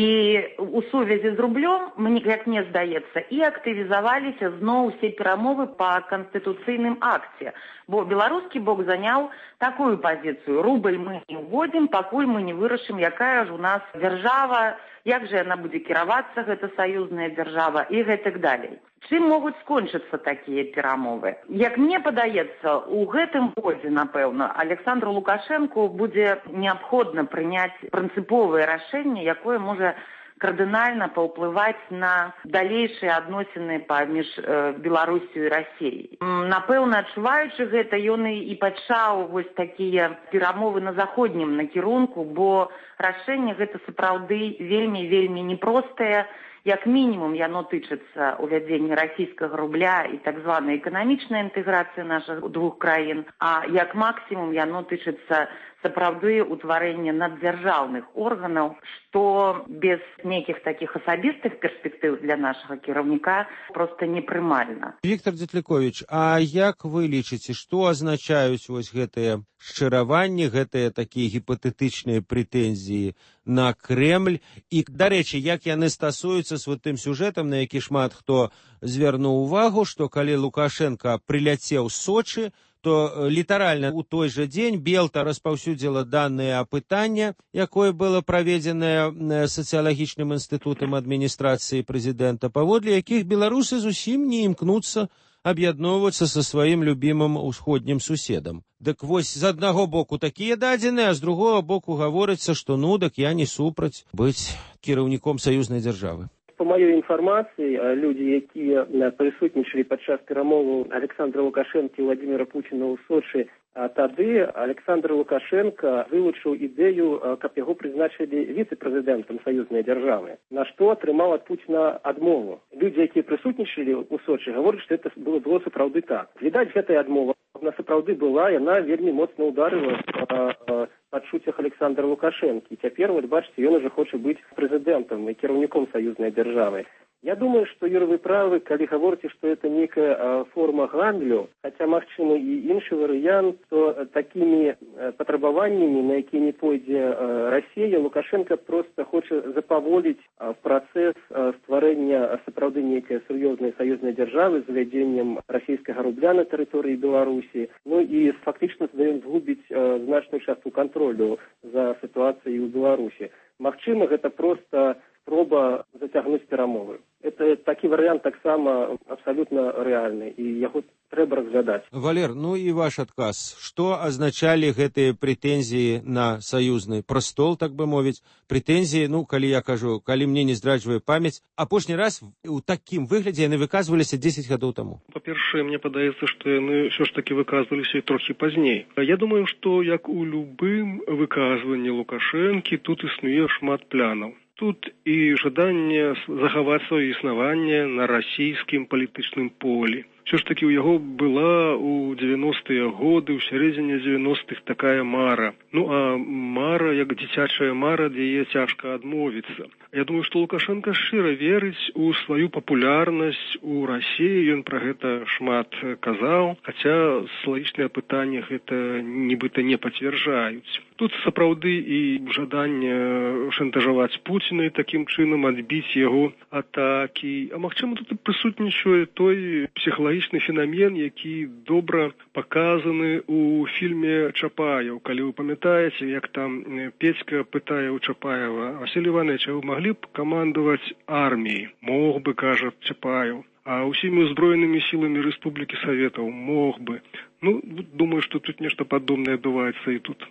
у сувязі з рублём, як мне здаецца, і актывізаваліся зноў усе перамовы па канстытуцыйным акце. Бо беларускі бок заняў такую пазіцыю. Рубль мы не ўводзім, пакуль мы не вырашым, якая ж у нас дзяржава, як жа яна будзе кіравацца, гэта саюзная дзяржава, і гэтак далей. Чым могуць скончыцца такія перамовы? Як мне падаецца, у гэтым годзе, напэўна, Александру Лукашэнку будзе неабходна прыняць прынцыповае рашэнне, якое можа кардынальна паўплываць на далейшыя адносіны паміж э, Беларусю і Расіяй. Напэўна, адчуваючы гэта, ён і пачаў вось такія перамовы на заходнім накірунку, бо рашэнне гэта сапраўды вельмі-вельмі непростае. Як мінімум, яно тычыцца увядзення расійскага рубля і так званай эканамічнай інтэграцыі нашых двух краін, а як максімум яно тычыцца сапраўды ўтварэння наддзяржаўных органаў, што без нейкіх такіх асабістых перспектыў для нашага кіраўніка проста непрымальна. Віктор Дзетліковіч, а як вы лічыце, што азначаюць вось гэтыя шчыраванні, гэтыя такія гіпатэтычныя прэтэнзіі на Крэмль? І, дарэчы, як яны стасуюцца з вот тым сюжэтам, на які шмат хто звярнуў увагу, што калі Лукашенко прыляцеў з Сочы, то літаральна ў той жа дзень Белта распаўсюдзіла даныя апытання, якое было праведзенае сацыялагічным інстытутам адміністрацыі прэзідэнта, паводле якіх беларусы зусім не імкнуцца аб'ядноўвацца са сваім любімым усходнім суседам. Дык вось з аднаго боку такія дадзеныя, а з другога боку гаворыцца, што ну, дык я не супраць быць кіраўніком саюзнай дзяржавы. По маёй інфармацыі, людзі, якія прысутнічалі падчас перамоваў Александра Лукашэнкі і Владимира Пуціна ў Сочы, а тады Александр Лукашенко вылучыў ідэю, каб яго прызначылі віцэ-прэзідэнтам саюзнай дзяржавы, на што атрымаў ад Пуціна адмову. Людзі, якія прысутнічалі ў Сочы, гавораць, што это было, было сапраўды так. Відаць, гэтая адмова на сапраўды была, яна вельмі моцна ударыла па адчуццях Александра Лукашэнкі. Цяпер, вот бачыце, ён ужо хоча быць прэзідэнтам і кіраўніком саюзнай дзяржавы. Я думаю, што, Юра, вы правы, калі гаворыце, што это нейкая а, форма гандлю, хаця, магчыма, і іншы варыянт, то такімі патрабаваннямі, на якія не пойдзе а, Расія, Лукашенко проста хоча запаволіць а, працэс а, стварэння сапраўды нейкай сур'ёзнай саюзнай дзяржавы з увядзеннем расійскага рубля на тэрыторыі Беларусі, ну і фактычна здаём згубіць а, значную частку кантролю за сітуацыяй у Беларусі. Магчыма, гэта проста спроба зацягнуць перамовы. Это такі варыянт таксама абсалютна рэальны, і яго трэба разглядаць. Валер, ну і ваш адказ. Што азначалі гэтыя прэтэнзіі на саюзны прастол, так бы мовіць? Прэтэнзіі, ну, калі я кажу, калі мне не здраджвае памяць, апошні раз у такім выглядзе яны выказваліся дзесяць гадоў таму. Па-першае, мне падаецца, што яны ўсё ж такі выказваліся трохі пазней. Я думаю, што як у любым выказванні Лукашэнкі тут існуе шмат плянаў. Тут і жаданне захаваць сваё існаванне на расійскім палітычным полі. Все ж таки у яго была у девяностыя годы, у сярэдзіне девяностых такая мара. Ну а мара, як дзіцячая мара, ад яе цяжка адмовіцца. Я думаю, што Лукашенко шчыра верыць у сваю папулярнасць у Расіі, ён пра гэта шмат казаў, хаця сілагічныя пытанні гэта нібыта не пацвярджаюць. Тут сапраўды і жаданне шантажаваць Пуціна і такім чынам адбіць яго атакі. А магчыма, тут і прысутнічае той псіхалагічны фенамен, які добра паказаны ў фільме Чапаеў. Калі вы памятаеце, як там Петька пытае ў Чапаева: Василий Иванович, а вы могли б камандаваць арміяй? Мог бы, кажа Чапаеў. А ўсімі ўзброенымі сіламі Рэспублікі Саветаў мог бы. Ну, думаю, што тут нешта падобнае адбываецца і тут.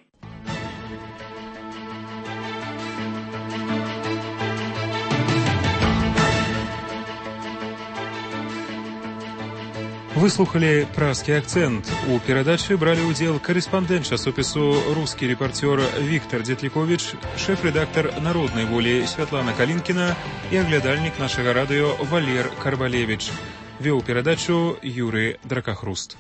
Выслухали «Пражскі акцент». У перадачы бралі ўдзел карэспандэнт часопісу «Рускі рэпарцёр» Віктор Дзетліковіч, шэф-рэдактар «Народнай волі» Святлана Калінкіна і аглядальнік нашага радыё Валер Карбалевіч. Вёў перадачу Юрый Дракахруст.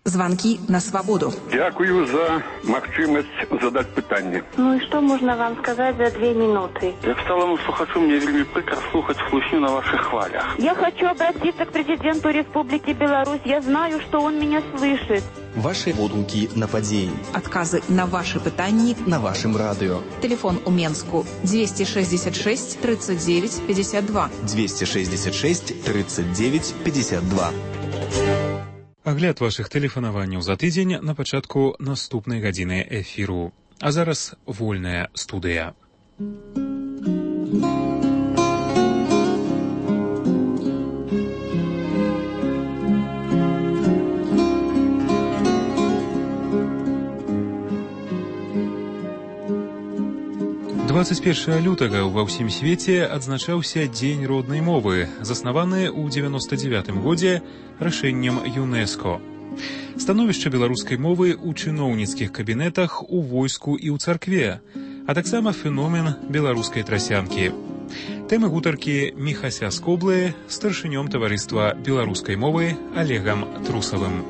Звонки на свободу. Дякую за магчымасць задаць пытанне. Ну и что можно вам сказать за две минуты? Як сталому слухачу, мне вельмі прикро слухаць хлусню на ваших хвалях. Я хочу обратиться к президенту Республики Беларусь. Я знаю, что он меня слышит. Ваши водумки на падзеі. Отказы на ваши пытанні на вашем радио. Телефон у Менску двести шестьдесят шесть тридцать девять пятьдесят два. двести шестьдесят шесть тридцать девять пятьдесят два. Агляд вашых тэлефанаванняў за тыдзень на пачатку наступнай гадзіны эфіру. А зараз вольная студыя. дваццаць першага лютага ва ўсім свеце адзначаўся Дзень роднай мовы, заснаваны ў дзевяноста дзевятым годзе рашэннем ЮНЕСКО. Становішча беларускай мовы ў чыноўніцкіх кабінетах, у войску і ў царкве, а таксама феномен беларускай трасянкі. Тэмы гутаркі Міхася Скоблы з старшынём таварыства беларускай мовы Олегам Трусавым.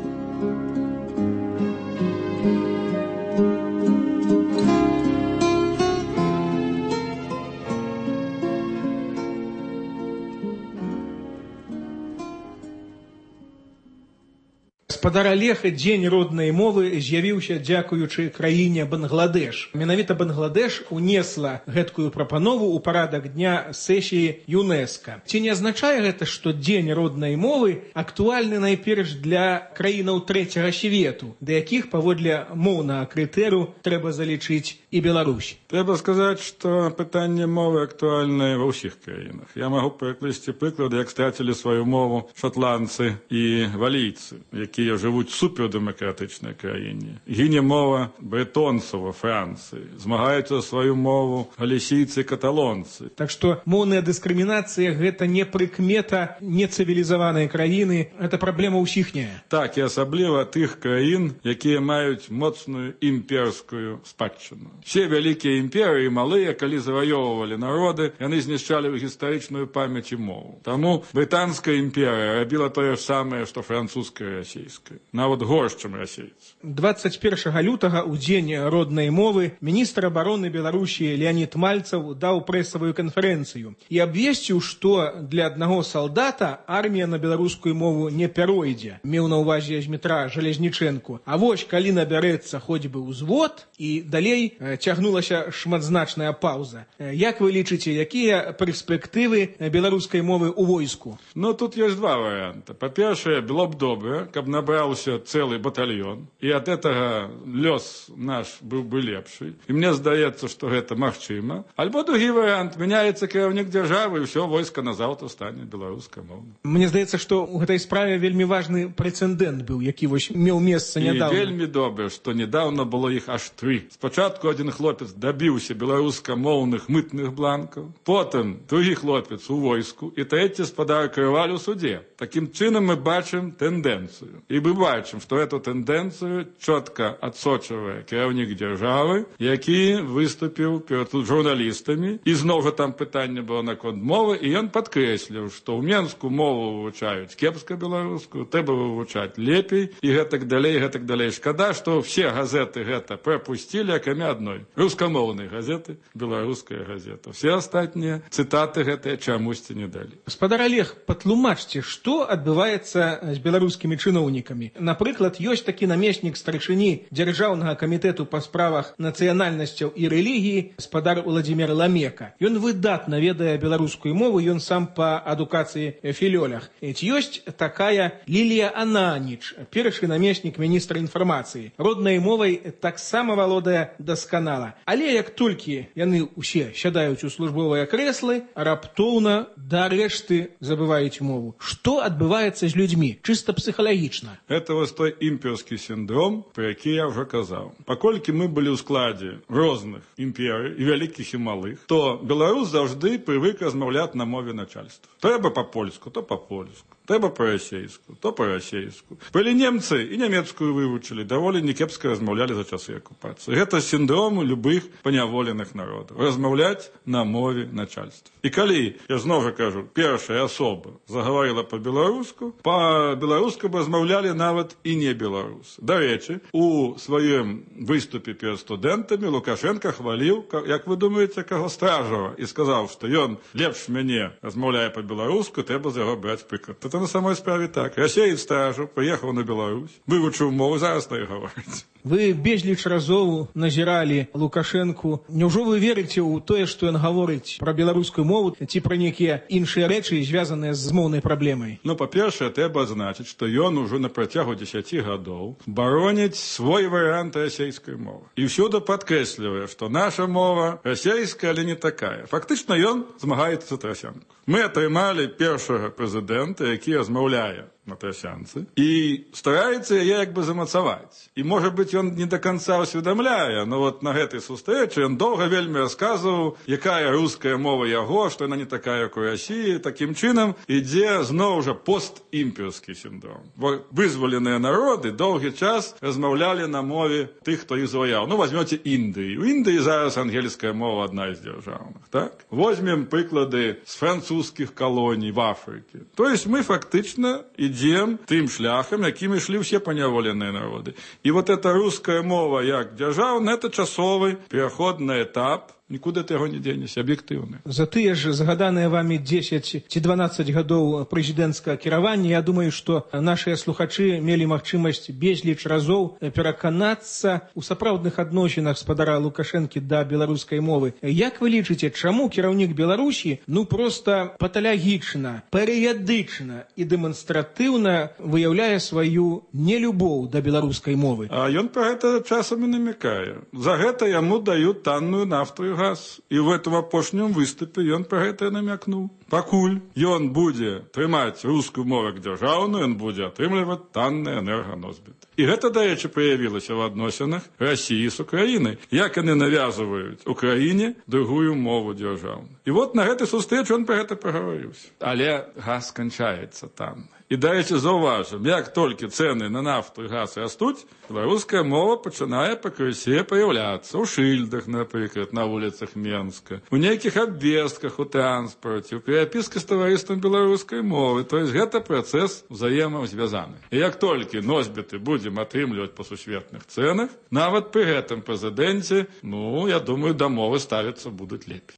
Гаспадар Олег, дзень роднай мовы з'явіўся дзякуючы краіне Бангладеш. Менавіта Бангладеш унесла гэткую прапанову ў парадак дня сесіі ЮНЕСКО. Ці не азначае гэта, што дзень роднай мовы актуальны найперш для краінаў трэцяга свету, да якіх паводле моўнага крытэру трэба залічыць і Беларусь? Трэба сказаць, што пытанне мовы актуальнае ва ўсіх краінах. Я магу прыкласці прыклады, як страцілі сваю мову шотландцы і валійцы, якія жывуць супер дэмакратычнай краіне. Гіне мова брэтонцаў ва Францыі, змагаюцца сваю мову галісійцы і каталонцы. Так што моўная дыскрымінацыя гэта не прыкмета нецывілізаванай краіны, гэта праблема ўсіхняя. Так, і асабліва тых краін, якія маюць моцную імперскую спадчыну. Все вялікія імперыі малыя, калі заваёўвалі народы, яны знішчалі гістарычную памяць і мову. Таму брытанская імперыя рабіла тое ж самае, што французская і расійская. Нават горш, чым расейцы. дваццаць першага лютага ў дзень роднай мовы міністр абароны Беларусі Леонид Мальцев даў прэсавую канферэнцыю і абвесціў, што для аднаго салдата армія на беларускую мову не пяройдзе. Меў на ўвазе Змітра Жалезнічэнку. А вось калі набярэцца хоць бы ўзвод, і далей цягнулася шматзначная паўза. Як вы лічыце, якія перспектывы беларускай мовы ў войску? Ну, тут ёсць два варыянты. Па-першае, было б добра, каб набраўся цэлы батальён, і ад гэтага лёс наш быў бы лепшы. І мне здаецца, што гэта магчыма. Альбо другі варыянт, мяняецца кіраўнік дзяржавы, і ўсё войска назаўтра стане беларускамоўным. Мне здаецца, што ў гэтай справе вельмі важны прэцэдэнт быў, які вось меў месца нядаўна. І вельмі добра, што недаўна было іх аж тры. Спачатку адзін хлопец дабіўся беларускамоўных мытных бланкаў, потым другі хлопец у войску, і трэці спадар Крываль у суде. Такім чынам мы бачым тэндэнцыю. І И мы бачим, что эту тенденцию четко отсочивает керівник державы, який выступил перед журналистами. И снова там питание было наконт мовы, и он подкреслил, что у Менску мову вывучают кепска белорусскую, треба вывучать лепей, и гэтак далей, и гэтак далей. Шкада, что все газеты гэта пропустили, кроме одной. Рускамоўной газеты, белорусская газета. Все остальные цитаты гэтыя чамусьці не дали. Гаспадар Олег, патлумачце, што адбываецца з беларускімі чыноўнікамі. Напрыклад, ёсць такі намеснік старшыні дзяржаўнага камітэту па справах нацыянальнасцяў і рэлігіі гаспадар Уладзімір Ламека. Ён выдатна ведае беларускую мову, ён сам па адукацыі філёлях. Ці ёсць такая Лілія Ананіч, першы намеснік міністра інфармацыі. Роднай мовай таксама валодае дасканала. Але як толькі яны ўсе сядаюць у службовыя крэслы, раптоўна да рэшты забываюць мову. Што адбываецца з людзьмі, чыста псіхалагічна? Это вось той імперскі сіндром, про які я ўжо казаў. Паколькі мы былі ў складзе розных імперый, і вялікіх, і малых, то беларус заўжды прывык размаўляць на мове начальства. Трэба па-польску, то па-польску. Трэба па-расейску, то па-расейску. Былі немцы і нямецкую вывучылі, даволі некепска размаўлялі за часы акупацыі. Гэта сіндром любых паняволеных народаў. Размаўляць на мове начальства. І калі, я зноў жа кажу, першая асоба загаварыла па-беларуску, па-беларуску б размаўлялі нават і не беларусы. Дарэчы, у сваім выступе перад студэнтамі Лукашенко хваліў, як вы думаеце, каго Стражава, і сказаў, што ён лепш мяне размаўляе па-беларуску, трэба з яго браць прыклад. Это на самой справе так. Расеец Стражаў прыехаў на Беларусь, вывучыў мову, зараз так гаворыць. Вы безліч разоў назіралі Лукашэнку. Няўжо вы верыце ў тое, што ён гаворыць пра беларускую мову ці пра нейкія іншыя рэчы, звязаныя з моўнай праблемай? Ну, па-першае, трэба адзначыць, што ён ужо на працягу дзесяці гадоў бароніць свой варыянт расейскай мовы. І ўсюды падкрэслівае, што наша мова расейская, але не такая. Фактычна ён змагаецца за трасянку. Мы атрымалі першага прэзідэнта, які размаўляе на трасянцы, і стараецца яе як бы замацаваць. І, можа быць, ён не до конца усведамляе, но вот на гэтай сустрэчы ён доўга вельмі расказваў, якая руская мова яго, што яна не такая, як у Расіі. Такім чынам ідзе зноў жа постімперскі сіндром. Бо вызваленыя народы доўгі час размаўлялі на мове тых, хто іх заваяў. Ну, возьмёце Індыю. У Індыі зараз ангельская мова адна з дзяржаўных, так? Возьмем прыклады з французскіх калоній в Афрыке. То есть мы фактычна ідзем тым шляхам, якім ішлі ўсе паняволеныя народы. І вот эта руская мова як дзяржаўная, это часовы пераходны этап, нікуды ты яго не дзенешся, аб'ектыўны. За тыя ж згаданыя вамі дзесяць ці дванаццаць гадоў прэзідэнцкага кіравання, я думаю, што нашыя слухачы мелі магчымасць безліч разоў пераканацца ў сапраўдных адносінах гаспадара Лукашэнкі да беларускай мовы. Як вы лічыце, чаму кіраўнік Беларусі ну проста паталагічна, перыядычна і дэманстратыўна выяўляе сваю нелюбоў да беларускай мовы? А ён пра гэта часам і намякае. За гэта яму даюць танную нафту і газ. І в этом апошнім выступе ён пра гэта намякнуў. Пакуль ён будзе трымаць рускую мову як дзяржаўную, ён будзе атрымліваць танныя энерганосьбіты. І гэта, дарэчы, праявілася ў адносінах Расіі з Украінай. Як яны навязваюць Украіне другую мову дзяржаўную. І вот на гэтай сустрэчы ён пра гэта прагаварыўся. Але газ сканчаецца там. І, дарэчы, заўважым, як толькі цэны на нафту і газ растуць, беларуская мова пачынае пакрысе паяўляцца ў шыльдах, напрыклад, на вуліцах Менска, у нейкіх абвестках у транспарце, у перапіскі з таварыствам беларускай мовы. То есть гэта працэс узаемазвязаны. І як толькі носьбіты будзем атрымліваць па сусветных цэнах, нават пры гэтым прэзідэнце, ну, я думаю, да мовы ставіцца будуць лепей.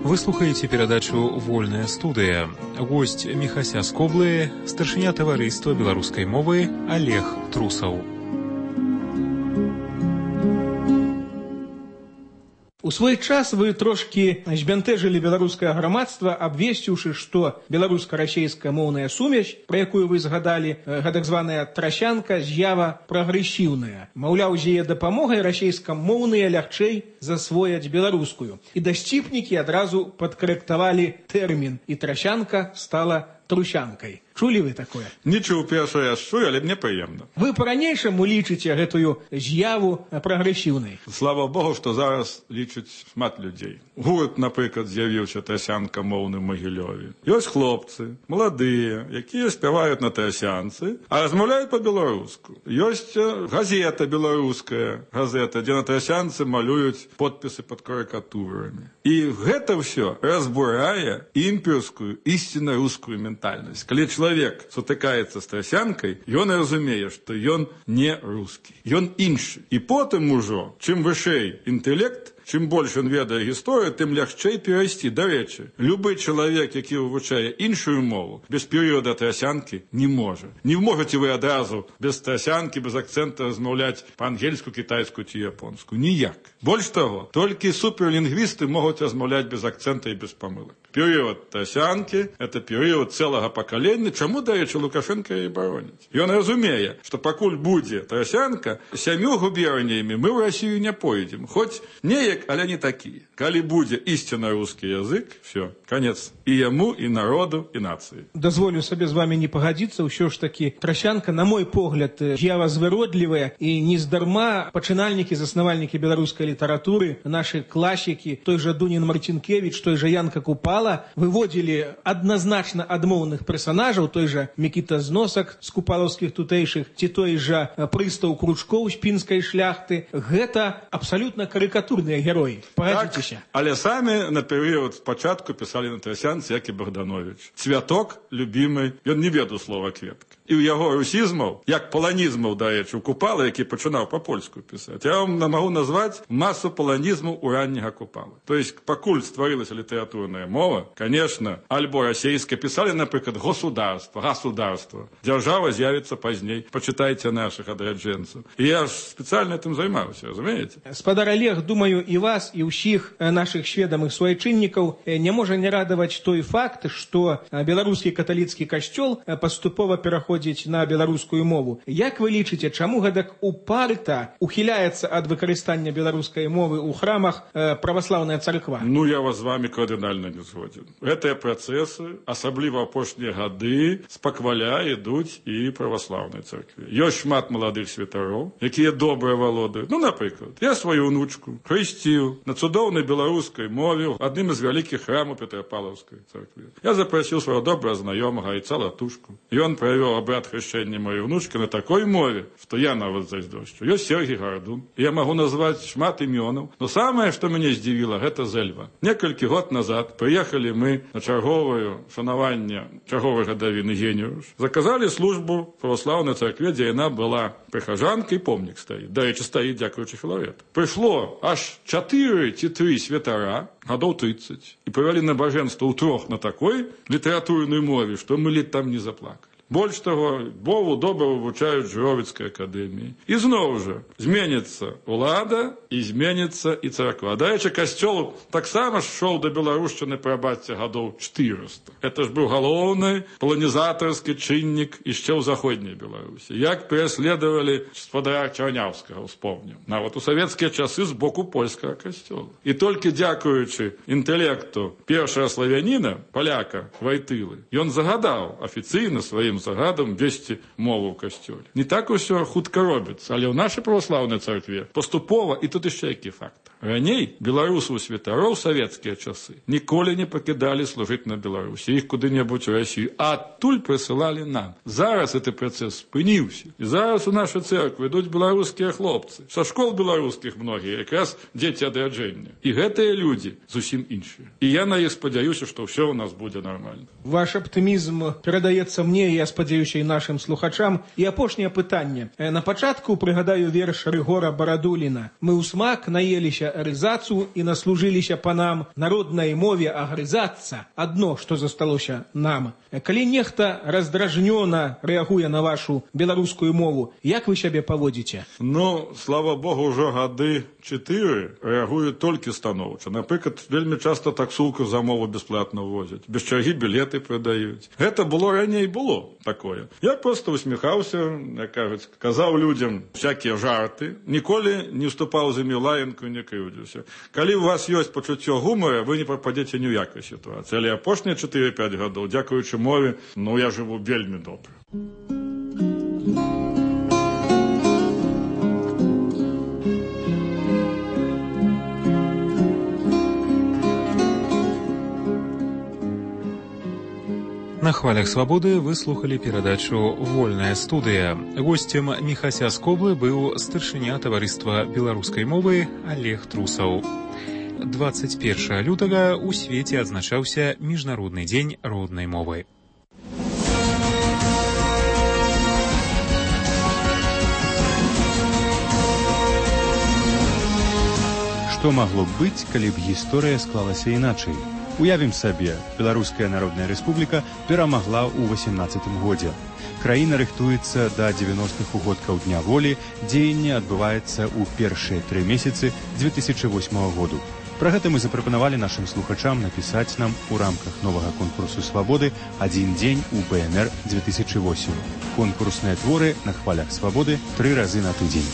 Вы слухаеце перадачу «Вольная студыя». Госць Міхася з Коблы, старшыня таварыства беларускай мовы Олег Трусаў. У свой час вы трошкі збянтэжылі беларускае грамадства, абвесціўшы, што беларуска-расейская моўная сумесь, пра якую вы згадалі, гэтак званая трасянка, з'ява прагрэсіўная. Маўляў, з яе дапамогай расейскамоўныя лягчэй засвояць беларускую. І дасціпнікі адразу падкарэктавалі тэрмін, і трасянка стала трусянкай. Чулі вы такое? Не чуў першы раз чую, але мне прыемна. Вы па-ранейшаму лічыце гэтую з'яву прагрэсіўнай? Слава Богу, што зараз лічыць шмат людзей. Гурт, напрыклад, з'явіўся трасянка моўны ў Магілёве. Ёсць хлопцы, маладыя, якія спяваюць на трасянцы, а размаўляюць па-беларуску. Ёсць газета беларуская, газета, дзе на трасянцы малююць подпісы пад карыкатурамі. І гэта ўсё разбурае імперскую, ісцінна рускую ментальнасць. Калі чалавек сутыкаецца з трасянкай, ён разумее, што ён не рускі, ён іншы. І потым ужо, чым вышэй інтэлект, чым больш ён ведае гісторыю, тым лягчэй перайсці. Дарэчы, любы чалавек, які вывучае іншую мову, без перыяда трасянкі не можа. Не можаце вы адразу без трасянкі, без акцэнта размаўляць па-ангельску, кітайску ці японску. Ніяк. Больш таго, толькі суперлінгвісты могуць размаўляць без акцэнта і без памылак. Перыяд трасянкі – это перыяд цэлага пакалення. Чаму, дарэчы, Лукашенка і бароніць? Ён разумее, што пакуль будзе трасянка, сямю губерніямі мы ў Расію не пойдзем. Хоць неяк, але не такія. Калі будзе ісцінна рускі язык, все, канец і яму, і народу, і нацыі. Дазволю сабе з вамі не пагадзіцца, ўсё ж такі трасянка, на мой погляд, з'ява звыродлівая, і нездарма пачынальнікі, заснавальнікі беларускай літаратуры, нашы класікі, той жа Дунін Марцінкевіч, той жа Янка Купала, выводзілі адназначна адмоўных персанажаў, той жа Мікіта Зносак з купалаўскіх тутэйшых, ці той жа прыстаў Кручкоў з пінскай шляхты. Гэта абсалютна карыкатурныя героі. Пагадзіцеся. Так, але самі на перыяд спачатку пісалі на трасянцы, як і Богданович. Цвяток любімы, ён не ведаў слова кветка. І ў яго русізмаў, як паланізмаў, дарэчы, у Купала, які пачынаў па-польску пісаць. Я вам магу назваць масу паланізмаў у ранняга Купала. То есть, пакуль стварылася літаратурная мова, конечно, альбо расейская, пісалі, напрыклад, государство, государство. Дзяржава з'явіцца пазней. Пачытайце нашых адраджэнцаў. І я ж спецыяльна этим займаўся, разумееце? Спадар Олег, думаю, і вас, і ўсіх нашых сведамых суайчыннікаў не можа не радаваць той факт, што беларускі каталіцкі касцёл паступова пераходзіць на беларускую мову. Як вы лічыце, чаму гэтак упарта ухіляецца ад выкарыстання беларускай мовы ў храмах праваслаўная царква? Ну, я вас з вами кардынальна не згодзін. Гэтыя працэсы, асабліва апошнія гады, спакваля ідуць і праваслаўнай царкве. Ёсць шмат маладых святароў, якія добра валодаюць. Ну, напрыклад, я сваю унучку хрысціў на цудоўнай беларускай мове ў адным з вялікіх храмаў Петрапавлаўскай царкве. Я запрасіў свайго добрага знаёмага айца Латушку. Ён правёў абрад хрышчэння маёй унучкі на такой мове, што я нават зайздошчу. Ёсць Сергій Гарадун. Я магу назваць шмат імёнаў, но самае, што мяне здзівіла, гэта Зэльва. Некалькі год назад прыехалі мы на чарговае шанаванне чарговай гадавіны Геніуш. Заказалі службу праваслаўнай царкве, дзе яна была прыхажанкай, помнік стаіць. Дарэчы, стаіць дзякуючы Філарету. Прыйшло аж чатыры ці тры святара, гадоў трыццаць, і правялі набажэнства ўтрох на такой літаратурнай мове, што мы ледь там не заплакалі. Больш таго, Богу добра вывучаюць Жыровіцкай акадэміі. І зноў жа зменіцца ўлада і зменіцца і царква. Дарэчы, касцёл таксама шоў да беларушчыны, прабачце, гадоў чатырыста. Это ж быў галоўны паланізатарскі чыннік яшчэ ў заходняй Беларусі. Як пераследавалі спадара Чарняўскага, успомнім. Нават у савецкія часы з боку польскага касцёла. І толькі дзякуючы інтэлекту першага славяніна, паляка Вайтылы, ён загадаў афіцыйна сваім загадам весці мову ў касцёле. Не так усё хутка робіцца, але ў нашай праваслаўнай царкве паступова, і тут яшчэ які факт. Раней беларусаў святароў савецкія часы ніколі не пакідалі служыць на Беларусі, іх куды-небудзь у Расію, а адтуль прысылалі нам. Зараз гэты працэс спыніўся. І зараз у нашай цэрквы ідуць беларускія хлопцы. Са школ беларускіх многія, якраз дзеці адраджэння. І гэтыя людзі зусім іншыя. І я на іх спадзяюся, што ўсё у нас будзе нармальна. Ваш аптымізм перадаецца мне, я спадзяюся, і нашым слухачам. І апошняе пытанне. На пачатку прыгадаю верш Рыгора Барадуліна. Мы ў смак наеліся рызацу і наслужыліся панам, народнай мове агрызацца адно, што засталося нам. Калі нехта раздражнёна рэагуе на вашу беларускую мову, як вы сябе паводзіце? Ну, слава Богу, ўжо гады чатыры рэагуюць толькі станоўча. Напрыклад, вельмі часта таксулку за мову бясплатна возяць. Без чаргі білеты прадаюць. Гэта было раней было такое. Я проста усміхаўся, як кажуць, казаў людзям всякія жарты, ніколі не ўступаў за імі лаянку, не скрыўдзіўся. Калі у вас ёсць пачуццё гумара, вы не пападзеце ні ў якай сітуацыі. Але апошнія чатыры-пяць гадоў, дзякуючы мове, ну я жыву вельмі добра. На хвалях свабоды вы слухали перадачу «Вольная студыя». Госцем Міхася з Коблы быў старшыня таварыства беларускай мовы Олег Трусаў. дваццаць першага лютага ў свеце адзначаўся Міжнародны дзень роднай мовы. Што магло б быць, калі б гісторыя склалася іначай? Уявім сабе, Беларуская Народная Рэспубліка перамагла ў васемнаццатым годзе. Краіна рыхтуецца да дзевяностых угодкаў Дня волі, дзеянне адбываецца ў першыя тры месяцы дзве тысячы восьмага году. Пра гэта мы запрапанавалі нашым слухачам напісаць нам у рамках новага конкурсу свабоды «Адзін дзень у БНР две тысячи восемь». Конкурсныя творы на хвалях свабоды тры разы на тыдзень.